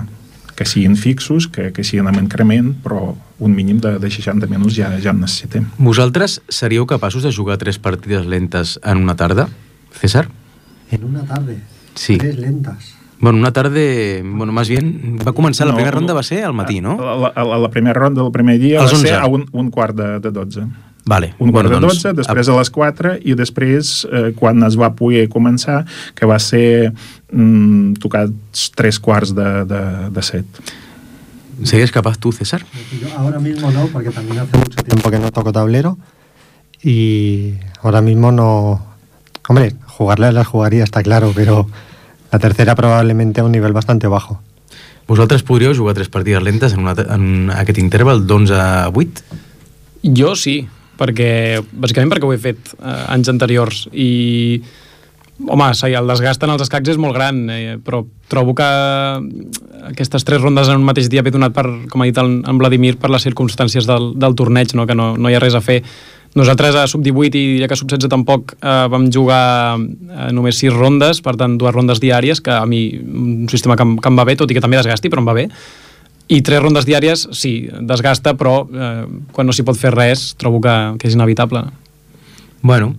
que siguin fixos, que, que siguin amb increment, però un mínim de, de seixanta minuts ja, ja en necessitem. Vosaltres seríeu capaços de jugar tres partides lentes en una tarda, César? En una tarda? Sí. Tres lentas. Bueno, una tarde, bueno, más bien, va començar, la no, primera ronda va ser al matí, no? La, la, la primera ronda del primer dia va ser a un, un quart de, de dotze. Vale. Un quart bueno, de dotze, doncs, després a les quatre, i després, eh, quan es va poder començar, que va ser mm, tocats tres quarts de, de, de set. ¿Serías capaz tú, César? Yo ahora mismo no, porque también hace mucho tiempo que no toco tablero, y ahora mismo no... Hombre, jugarle las jugaría, está claro, pero... La tercera probablement a un nivell bastante bajo. Vosaltres podríeu jugar tres partides lentes en, una, en aquest interval d'onze a vuit? Jo sí, perquè bàsicament perquè ho he fet eh, anys anteriors i home, el desgast en els escacs és molt gran, eh, però trobo que aquestes tres rondes en un mateix dia ve donat per, com ha dit en, en Vladimir, per les circumstàncies del, del torneig, no? Que no, no hi ha res a fer. Nosaltres a sub divuit i ja que a sub setze tampoc eh, vam jugar eh, només sis rondes, per tant dues rondes diàries, que a mi un sistema que em, que em va bé, tot i que també desgasti, però em va bé. I tres rondes diàries, sí, desgasta, però eh, quan no s'hi pot fer res trobo que, que és inevitable. Bueno,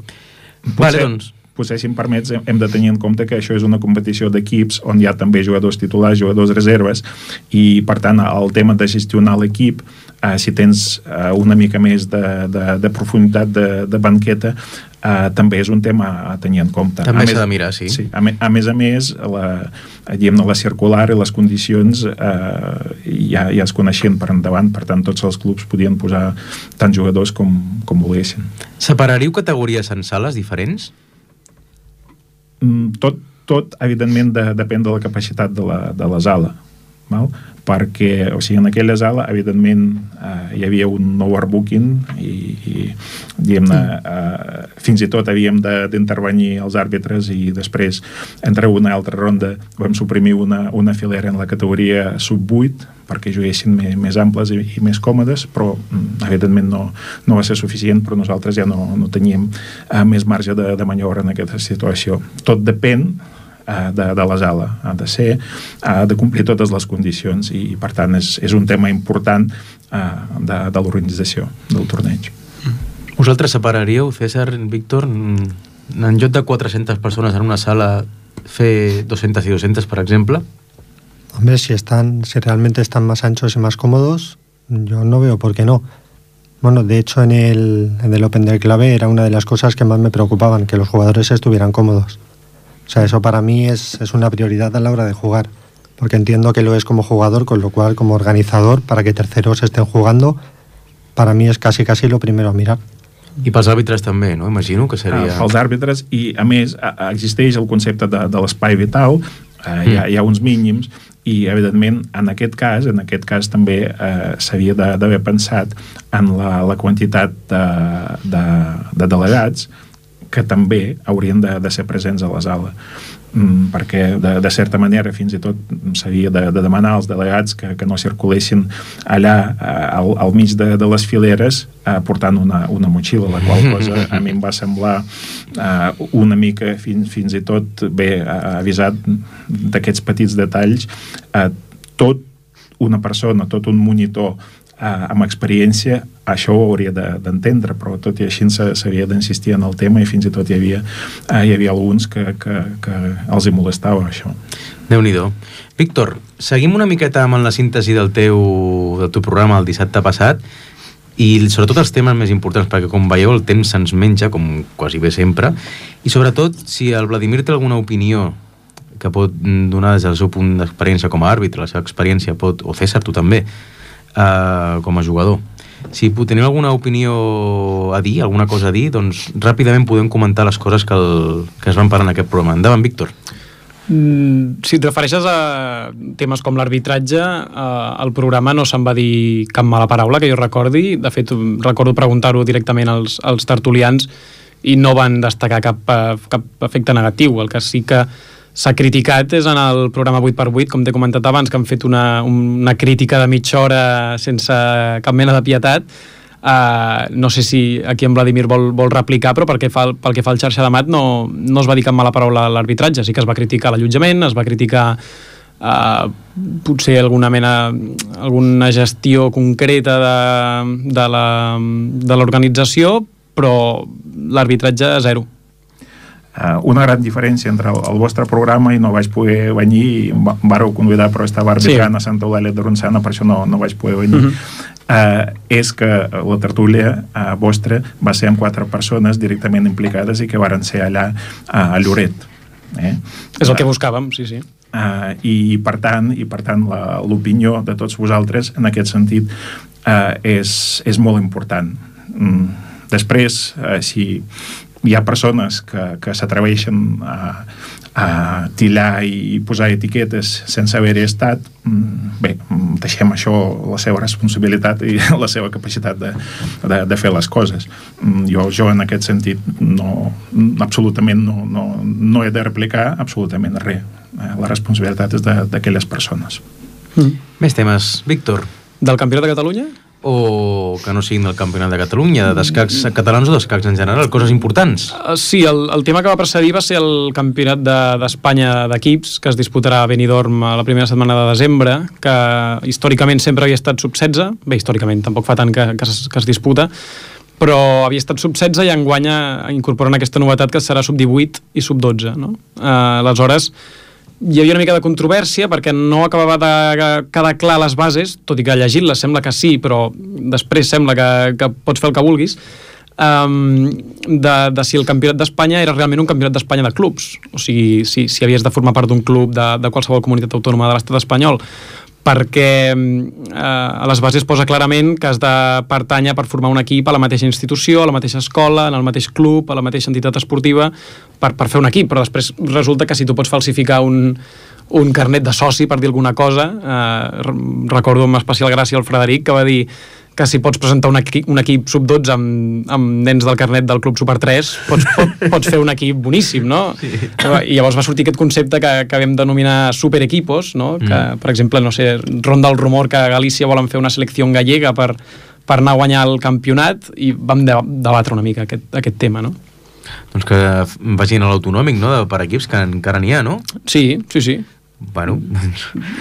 potser, vale, doncs. Potser, si em permets, hem de tenir en compte que això és una competició d'equips on hi ha també jugadors titulars, jugadors reserves, i per tant el tema de gestionar l'equip Uh, si tens uh, una mica més de, de, de profunditat de, de banqueta, uh, també és un tema a tenir en compte. També s'ha de mirar, sí. sí a, me, a més a més, la, diguem, la circular i les condicions uh, ja, ja es coneixien per endavant, per tant tots els clubs podien posar tants jugadors com, com volguessin. Separaríeu categories en sales diferents? Mm, tot, tot evidentment de, depèn de la capacitat de la, de la sala, val? Perquè, o sigui, en aquella sala, evidentment, eh, hi havia un overbooking i, i diguem-ne, eh, fins i tot havíem d'intervenir els àrbitres i després, entre una i altra ronda, vam suprimir una, una filera en la categoria sub vuit perquè juguessin més, més amples i, i més còmodes, però, evidentment, no, no va ser suficient, però nosaltres ja no, no teníem eh, més marge de, de maniobra en aquesta situació. Tot depèn De, de la sala, ha de ser, ha de complir totes les condicions i, per tant, és, és un tema important uh, de, de l'organització del torneig. Vosaltres separaríeu, César, Víctor, en lloc de quatre-centes persones en una sala, fer dos-centes i dos-centes, per exemple? Hombre, si, están, si realmente están más anchos y más cómodos, yo no veo por qué no. Bueno, de hecho, en el, en el Open del Clave era una de las cosas que más me preocupaban, que los jugadores estuvieran cómodos. O sea, eso para mí es, es una prioridad a la hora de jugar, porque entiendo que lo es como jugador, con lo cual como organizador, para que terceros estén jugando, para mí es casi casi lo primero a mirar. I pels àrbitres també, no? Imagino que seria... Ah, pels àrbitres, i a més existeix el concepte de, de l'espai vital, eh, mm. hi, ha, hi ha uns mínims, i evidentment en aquest cas, en aquest cas també eh, s'havia d'haver pensat en la, la quantitat de, de, de delegats que també haurien de, de ser presents a la sala, mm, perquè de, de certa manera fins i tot s'havia de, de demanar als delegats que, que no circulessin allà eh, al, al mig de, de les fileres eh, portant una, una motxilla, la qual cosa a mi em va semblar eh, una mica fins, fins i tot bé eh, avisat d'aquests petits detalls. Eh, tot una persona, tot un monitor Uh, amb experiència, això ho hauria d'entendre, de, però tot i així s'havia d'insistir en el tema i fins i tot hi havia, uh, hi havia alguns que, que, que els hi molestava això. Déu-n'hi-do. Víctor, seguim una miqueta amb la síntesi del teu, del teu programa el dissabte passat i sobretot els temes més importants, perquè com veieu el temps se'ns menja, com quasi bé sempre, i sobretot si el Vladimir té alguna opinió que pot donar des del seu punt d'experiència com a àrbitre, la seva experiència pot, o César, tu també, Uh, com a jugador. Si teniu alguna opinió a dir, alguna cosa a dir, doncs ràpidament podem comentar les coses que, el, que es van parlar en aquest programa. Endavant, Víctor. Mm, si et refereixes a temes com l'arbitratge, eh, el programa no se'n va dir cap mala paraula que jo recordi. De fet, recordo preguntar-ho directament als, als tertulians i no van destacar cap, cap efecte negatiu. El que sí que s'ha criticat és en el programa vuit per vuit, com t'he comentat abans, que han fet una, una crítica de mitja hora sense cap mena de pietat. Uh, no sé si aquí en Vladimir vol, vol replicar, però pel que fa, pel que fa al xarxa de mat no, no es va dir cap mala paraula a l'arbitratge. Sí que es va criticar l'allotjament, es va criticar uh, potser alguna mena, alguna gestió concreta de, de la, de l'organització, però l'arbitratge zero. Uh, una gran diferència entre el, el vostre programa i no vaig poder venir i em vareu convidar però estava arbitrant sí. a Santa Eulàlia de Ronçana, per això no, no vaig poder venir. Uh-huh. uh, és que la tertúlia uh, vostra va ser amb quatre persones directament implicades i que varen ser allà uh, a Lloret. Eh? És el que buscàvem, sí, sí. Uh, i, i per tant, i per tant l'opinió de tots vosaltres en aquest sentit uh, és, és molt important. Mm. Després, uh, si hi ha persones que, que s'atreveixen a, a tillar i posar etiquetes sense haver-hi estat, bé, deixem això la seva responsabilitat i la seva capacitat de, de, de fer les coses. Jo, jo en aquest sentit no, absolutament no, no, no he de replicar absolutament res. La responsabilitat és d'aquelles persones. Mm. Més temes. Víctor. Del Campionat de Catalunya? O que no siguin del Campionat de Catalunya, d'escacs catalans o d'escacs en general, coses importants. Uh, sí, el, el tema que va precedir va ser el Campionat d'Espanya de, d'equips, que es disputarà a Benidorm a la primera setmana de desembre, que històricament sempre havia estat sub setze, bé, històricament, tampoc fa tant que, que, es, que es disputa, però havia estat sub setze i enguany incorporen aquesta novetat que serà sub divuit i sub dotze, no? Uh, aleshores, hi havia una mica de controvèrsia perquè no acabava de quedar clar les bases, tot i que llegint-les sembla que sí, però després sembla que, que pots fer el que vulguis, um, de, de si el campionat d'Espanya era realment un campionat d'Espanya de clubs, o sigui, si, si havies de formar part d'un club de, de qualsevol comunitat autònoma de l'estat espanyol, perquè eh, a les bases posa clarament que has de pertànyer per formar un equip a la mateixa institució, a la mateixa escola, en el mateix club, a la mateixa entitat esportiva, per, per fer un equip, però després resulta que si tu pots falsificar un, un carnet de soci, per dir alguna cosa, eh, recordo amb especial gràcia el Frederic, que va dir que si pots presentar un equip, un equip sub dotze amb, amb nens del carnet del Club Super tres, pots, pot, pots fer un equip boníssim, no? Sí. I llavors va sortir aquest concepte que, que vam denominar superequipos, no? Mm. Que, per exemple, no sé, ronda el rumor que a Galícia volen fer una selecció gallega per, per anar a guanyar el campionat, i vam de, debatre una mica aquest, aquest tema, no? Doncs que vagin a l'autonòmic, no?, per equips, que encara n'hi ha, no? Sí, sí, sí. Bueno,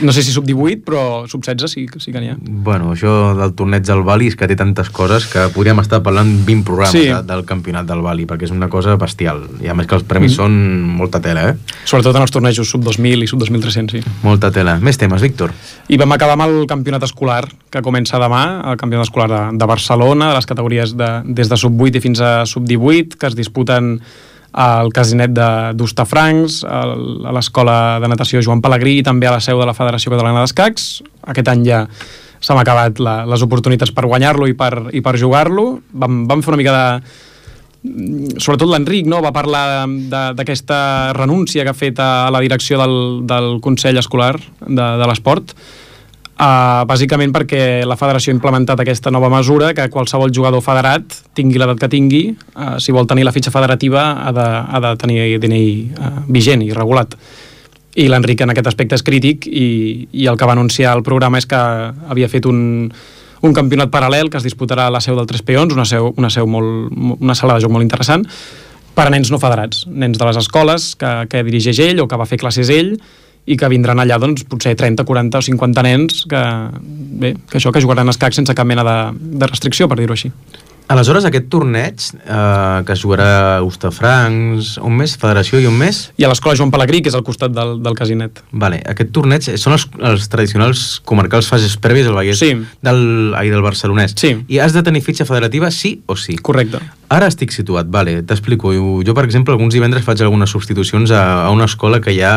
no sé si sub divuit, però sub setze sí, sí que n'hi ha. Bueno, això del torneig del Bali és que té tantes coses que podríem estar parlant vint programes sí. de, del campionat del Bali, perquè és una cosa bestial. I a més que els premis mm. són molta tela, eh? Sobretot en els tornejos sub dos mil i sub dos mil tres-cents, sí. Molta tela. Més temes, Víctor? I vam acabar amb el campionat escolar, que comença demà, el campionat escolar de, de Barcelona, de les categories de, des de sub vuit i fins a sub divuit, que es disputen al Casinet d'Hostafrancs, a l'Escola de Natació Joan Pelegrí i també a la seu de la Federació Catalana d'Escacs. Aquest any ja s'han acabat la, les oportunitats per guanyar-lo i per, i per jugar-lo. Vam, vam fer una mica de... Sobretot l'Enric, no?, va parlar d'aquesta renúncia que ha fet a la direcció del, del Consell Escolar de, de l'Esport, Uh, bàsicament perquè la federació ha implementat aquesta nova mesura que qualsevol jugador federat, tingui l'edat que tingui, uh, si vol tenir la fitxa federativa ha de, ha de tenir D N I uh, vigent i regulat. I l'Enric en aquest aspecte és crític, i, i el que va anunciar el programa és que havia fet un, un campionat paral·lel que es disputarà a la seu del Tres Peons, una, seu, una, seu molt, una sala de joc molt interessant, per a nens no federats, nens de les escoles que, que dirigeix ell o que va fer classes ell, i que vindran allà, doncs, potser trenta, quaranta o cinquanta nens que, bé, que això, que jugaran a escac sense cap mena de, de restricció, per dir-ho així. Aleshores, aquest torneig, eh, que es jugarà a Hostafrancs, un mes, federació i un mes? I a l'Escola Joan Pelegrí, que és al costat del, del Casinet. Vale, aquest torneig són els, els tradicionals comarcals fases prèvies del Vallès, sí. del, ai, del barcelonès. Sí. I has de tenir fitxa federativa sí o sí? Correcte. Ara estic situat, vale, t'explico. Jo, jo, per exemple, alguns divendres faig algunes substitucions a, a una escola que hi ha...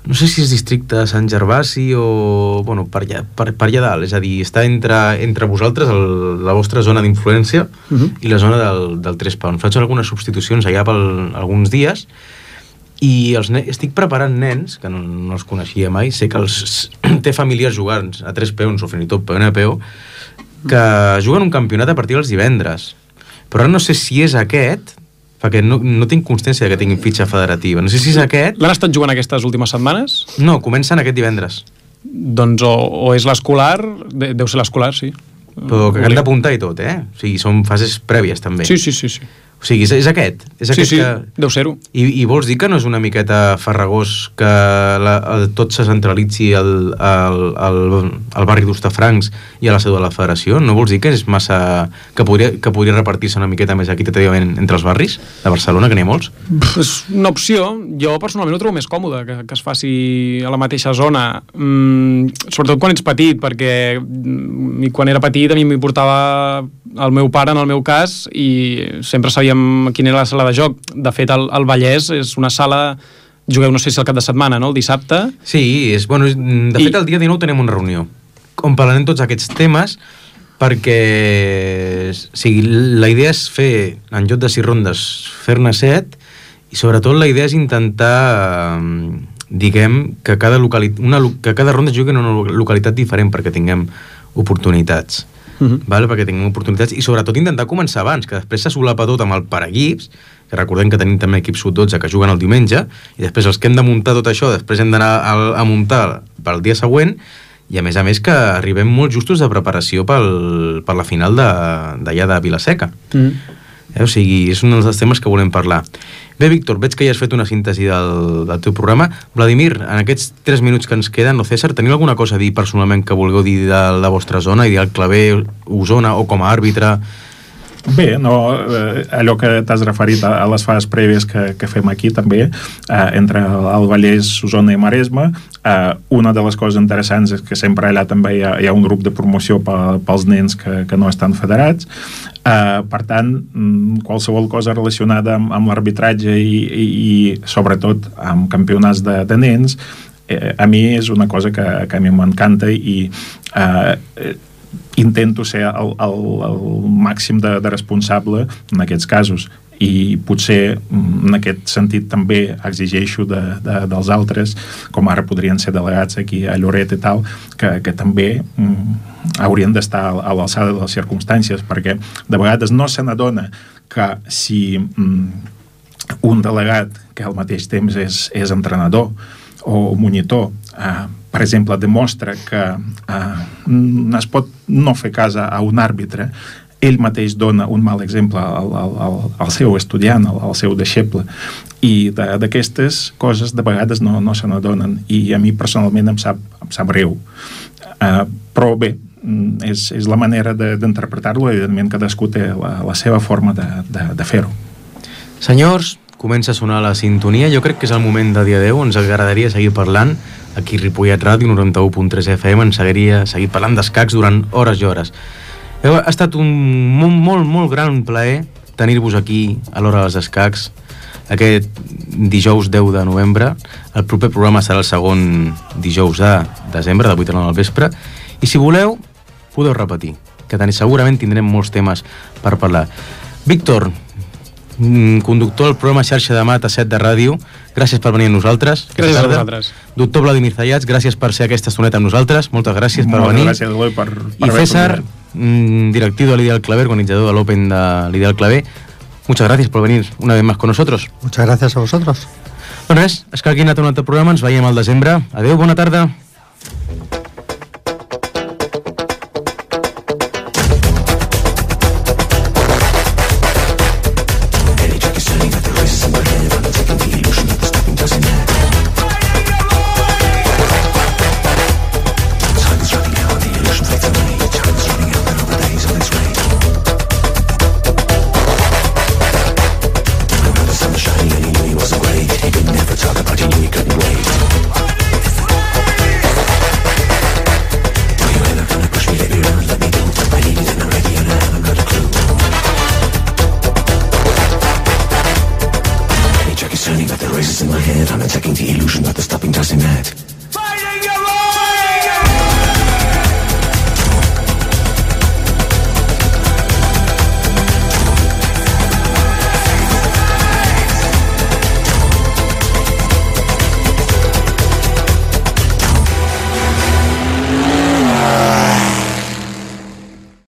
No sé si és districte de Sant Gervasi o... Bueno, per allà, per, per allà dalt. És a dir, està entre, entre vosaltres, el, la vostra zona d'influència, uh-huh. i la zona del, del Tres Peons. Faig algunes substitucions allà per alguns dies, i els estic preparant nens, que no, no els coneixia mai, sé que els té familiars jugant a Tres Peons o fins i tot P N P O, que juguen un campionat a partir dels divendres. Però ara no sé si és aquest... perquè no, no tinc constància que tinguin fitxa federativa. No sé si és aquest... L'han estat jugant aquestes últimes setmanes? No, comencen aquest divendres. Doncs o, o és l'escolar, de, deu ser l'escolar, sí. Però que hem d'apuntar i tot, eh? O sigui, són fases prèvies, també. Sí, sí, sí, sí. O sigui, és, és aquest? És sí, aquest sí, que... deu ser-ho. I, I vols dir que no és una miqueta farragós que la, el, tot se centralitzi al, al, al, al barri d'Hostafrancs i a la seu de la federació? No vols dir que és massa... que podria, que podria repartir-se una miqueta més equitativament entre els barris de Barcelona, que n'hi ha molts? És una opció. Jo personalment ho trobo més còmode, que, que es faci a la mateixa zona. Mm, sobretot quan ets petit, perquè mm, quan era petit a mi m'importava el meu pare, en el meu cas, i sempre sabíem quina era la sala de joc. De fet, el, el Vallès és una sala... Jugueu, no sé si el cap de setmana, no?, el dissabte. Sí, és, bueno, de fet, I... el dia dinou tenim una reunió on parlarem tots aquests temes, perquè o sigui, la idea és fer, en lloc de sis rondes, fer-ne set, i sobretot la idea és intentar, diguem, que cada, localitat, una, que cada ronda jugui en una localitat diferent perquè tinguem oportunitats. Uh-huh. Vale? Perquè tinguem oportunitats, i sobretot intentar començar abans, que després se solapa tot amb el paraequips, que recordem que tenim també equips sub dotze que juguen el diumenge, i després els que hem de muntar tot això, després hem d'anar a, a muntar pel dia següent, i a més a més que arribem molt justos de preparació pel, per la final d'allà de, de Vila-seca. Uh-huh. Eh? O sigui, és un dels temes que volem parlar. Bé, Víctor, veig que ja has fet una síntesi del, del teu programa. Vladimir, en aquests tres minuts que ens queden, o César, teniu alguna cosa a dir personalment que vulgueu dir de la vostra zona, i dir el Claver, Osona, o com a àrbitre? Bé, no, eh, allò que t'has referit a, a les fases prèvies que, que fem aquí també, eh, entre el Vallès, Osona i Maresme, eh, una de les coses interessants és que sempre allà també hi ha, hi ha un grup de promoció pe, pels nens que, que no estan federats. Eh, per tant, qualsevol cosa relacionada amb, amb l'arbitratge i, i, i sobretot amb campionats de, de nens, eh, a mi és una cosa que, que a mi m'encanta i eh, intento ser el, el, el màxim de, de responsable en aquests casos, i potser en aquest sentit també exigeixo de, de, dels altres, com ara podrien ser delegats aquí a Lloret i tal, que, que també mm, haurien d'estar a l'alçada de les circumstàncies, perquè de vegades no se n'adona que si mm, un delegat que al mateix temps és, és entrenador o monitor, eh, per exemple, demostra que eh, es pot no fer cas a un àrbitre, ell mateix dona un mal exemple al, al, al seu estudiant, al, al seu deixeble, i d'aquestes coses de vegades no, no se n'adonen, i a mi personalment em sap, em sap greu. Eh, però bé, és, és la manera de, d'interpretar-lo, i evidentment cadascú té la, la seva forma de, de, de fer-ho. Senyors, comença a sonar la sintonia. Jo crec que és el moment de dia deu. Ens agradaria seguir parlant aquí a Ripollet Ràdio, noranta-u punt tres F M. Ens agradaria seguir parlant d'escacs durant hores i hores. Ha estat un molt, molt, molt gran plaer tenir-vos aquí a l'Hora dels Escacs aquest dijous deu de novembre. El proper programa serà el segon dijous de desembre, de vuit a nou del vespre, i si voleu podeu repetir, que segurament tindrem molts temes per parlar. Víctor, conductor del programa Xarxa de Mat a set de ràdio, gràcies per venir amb nosaltres. Gràcies a vosaltres. Doctor Vladimir Zayats, gràcies per ser aquesta estoneta amb nosaltres. Moltes gràcies per Moltes venir. Gràcies, Eloi, per, per I César, directiu de l'Ideal Claver, organitzador de l'Open de l'Ideal Claver, muchas gracias por venir una vez más con nosotros. Muchas gracias a vosotros. Bueno, és, és que aquí ha anat un altre programa, ens veiem al desembre. Adeu, bona tarda. Turning, but the race is in my head. I'm attacking the illusion, but the stopping doesn't matter. Fighting your own!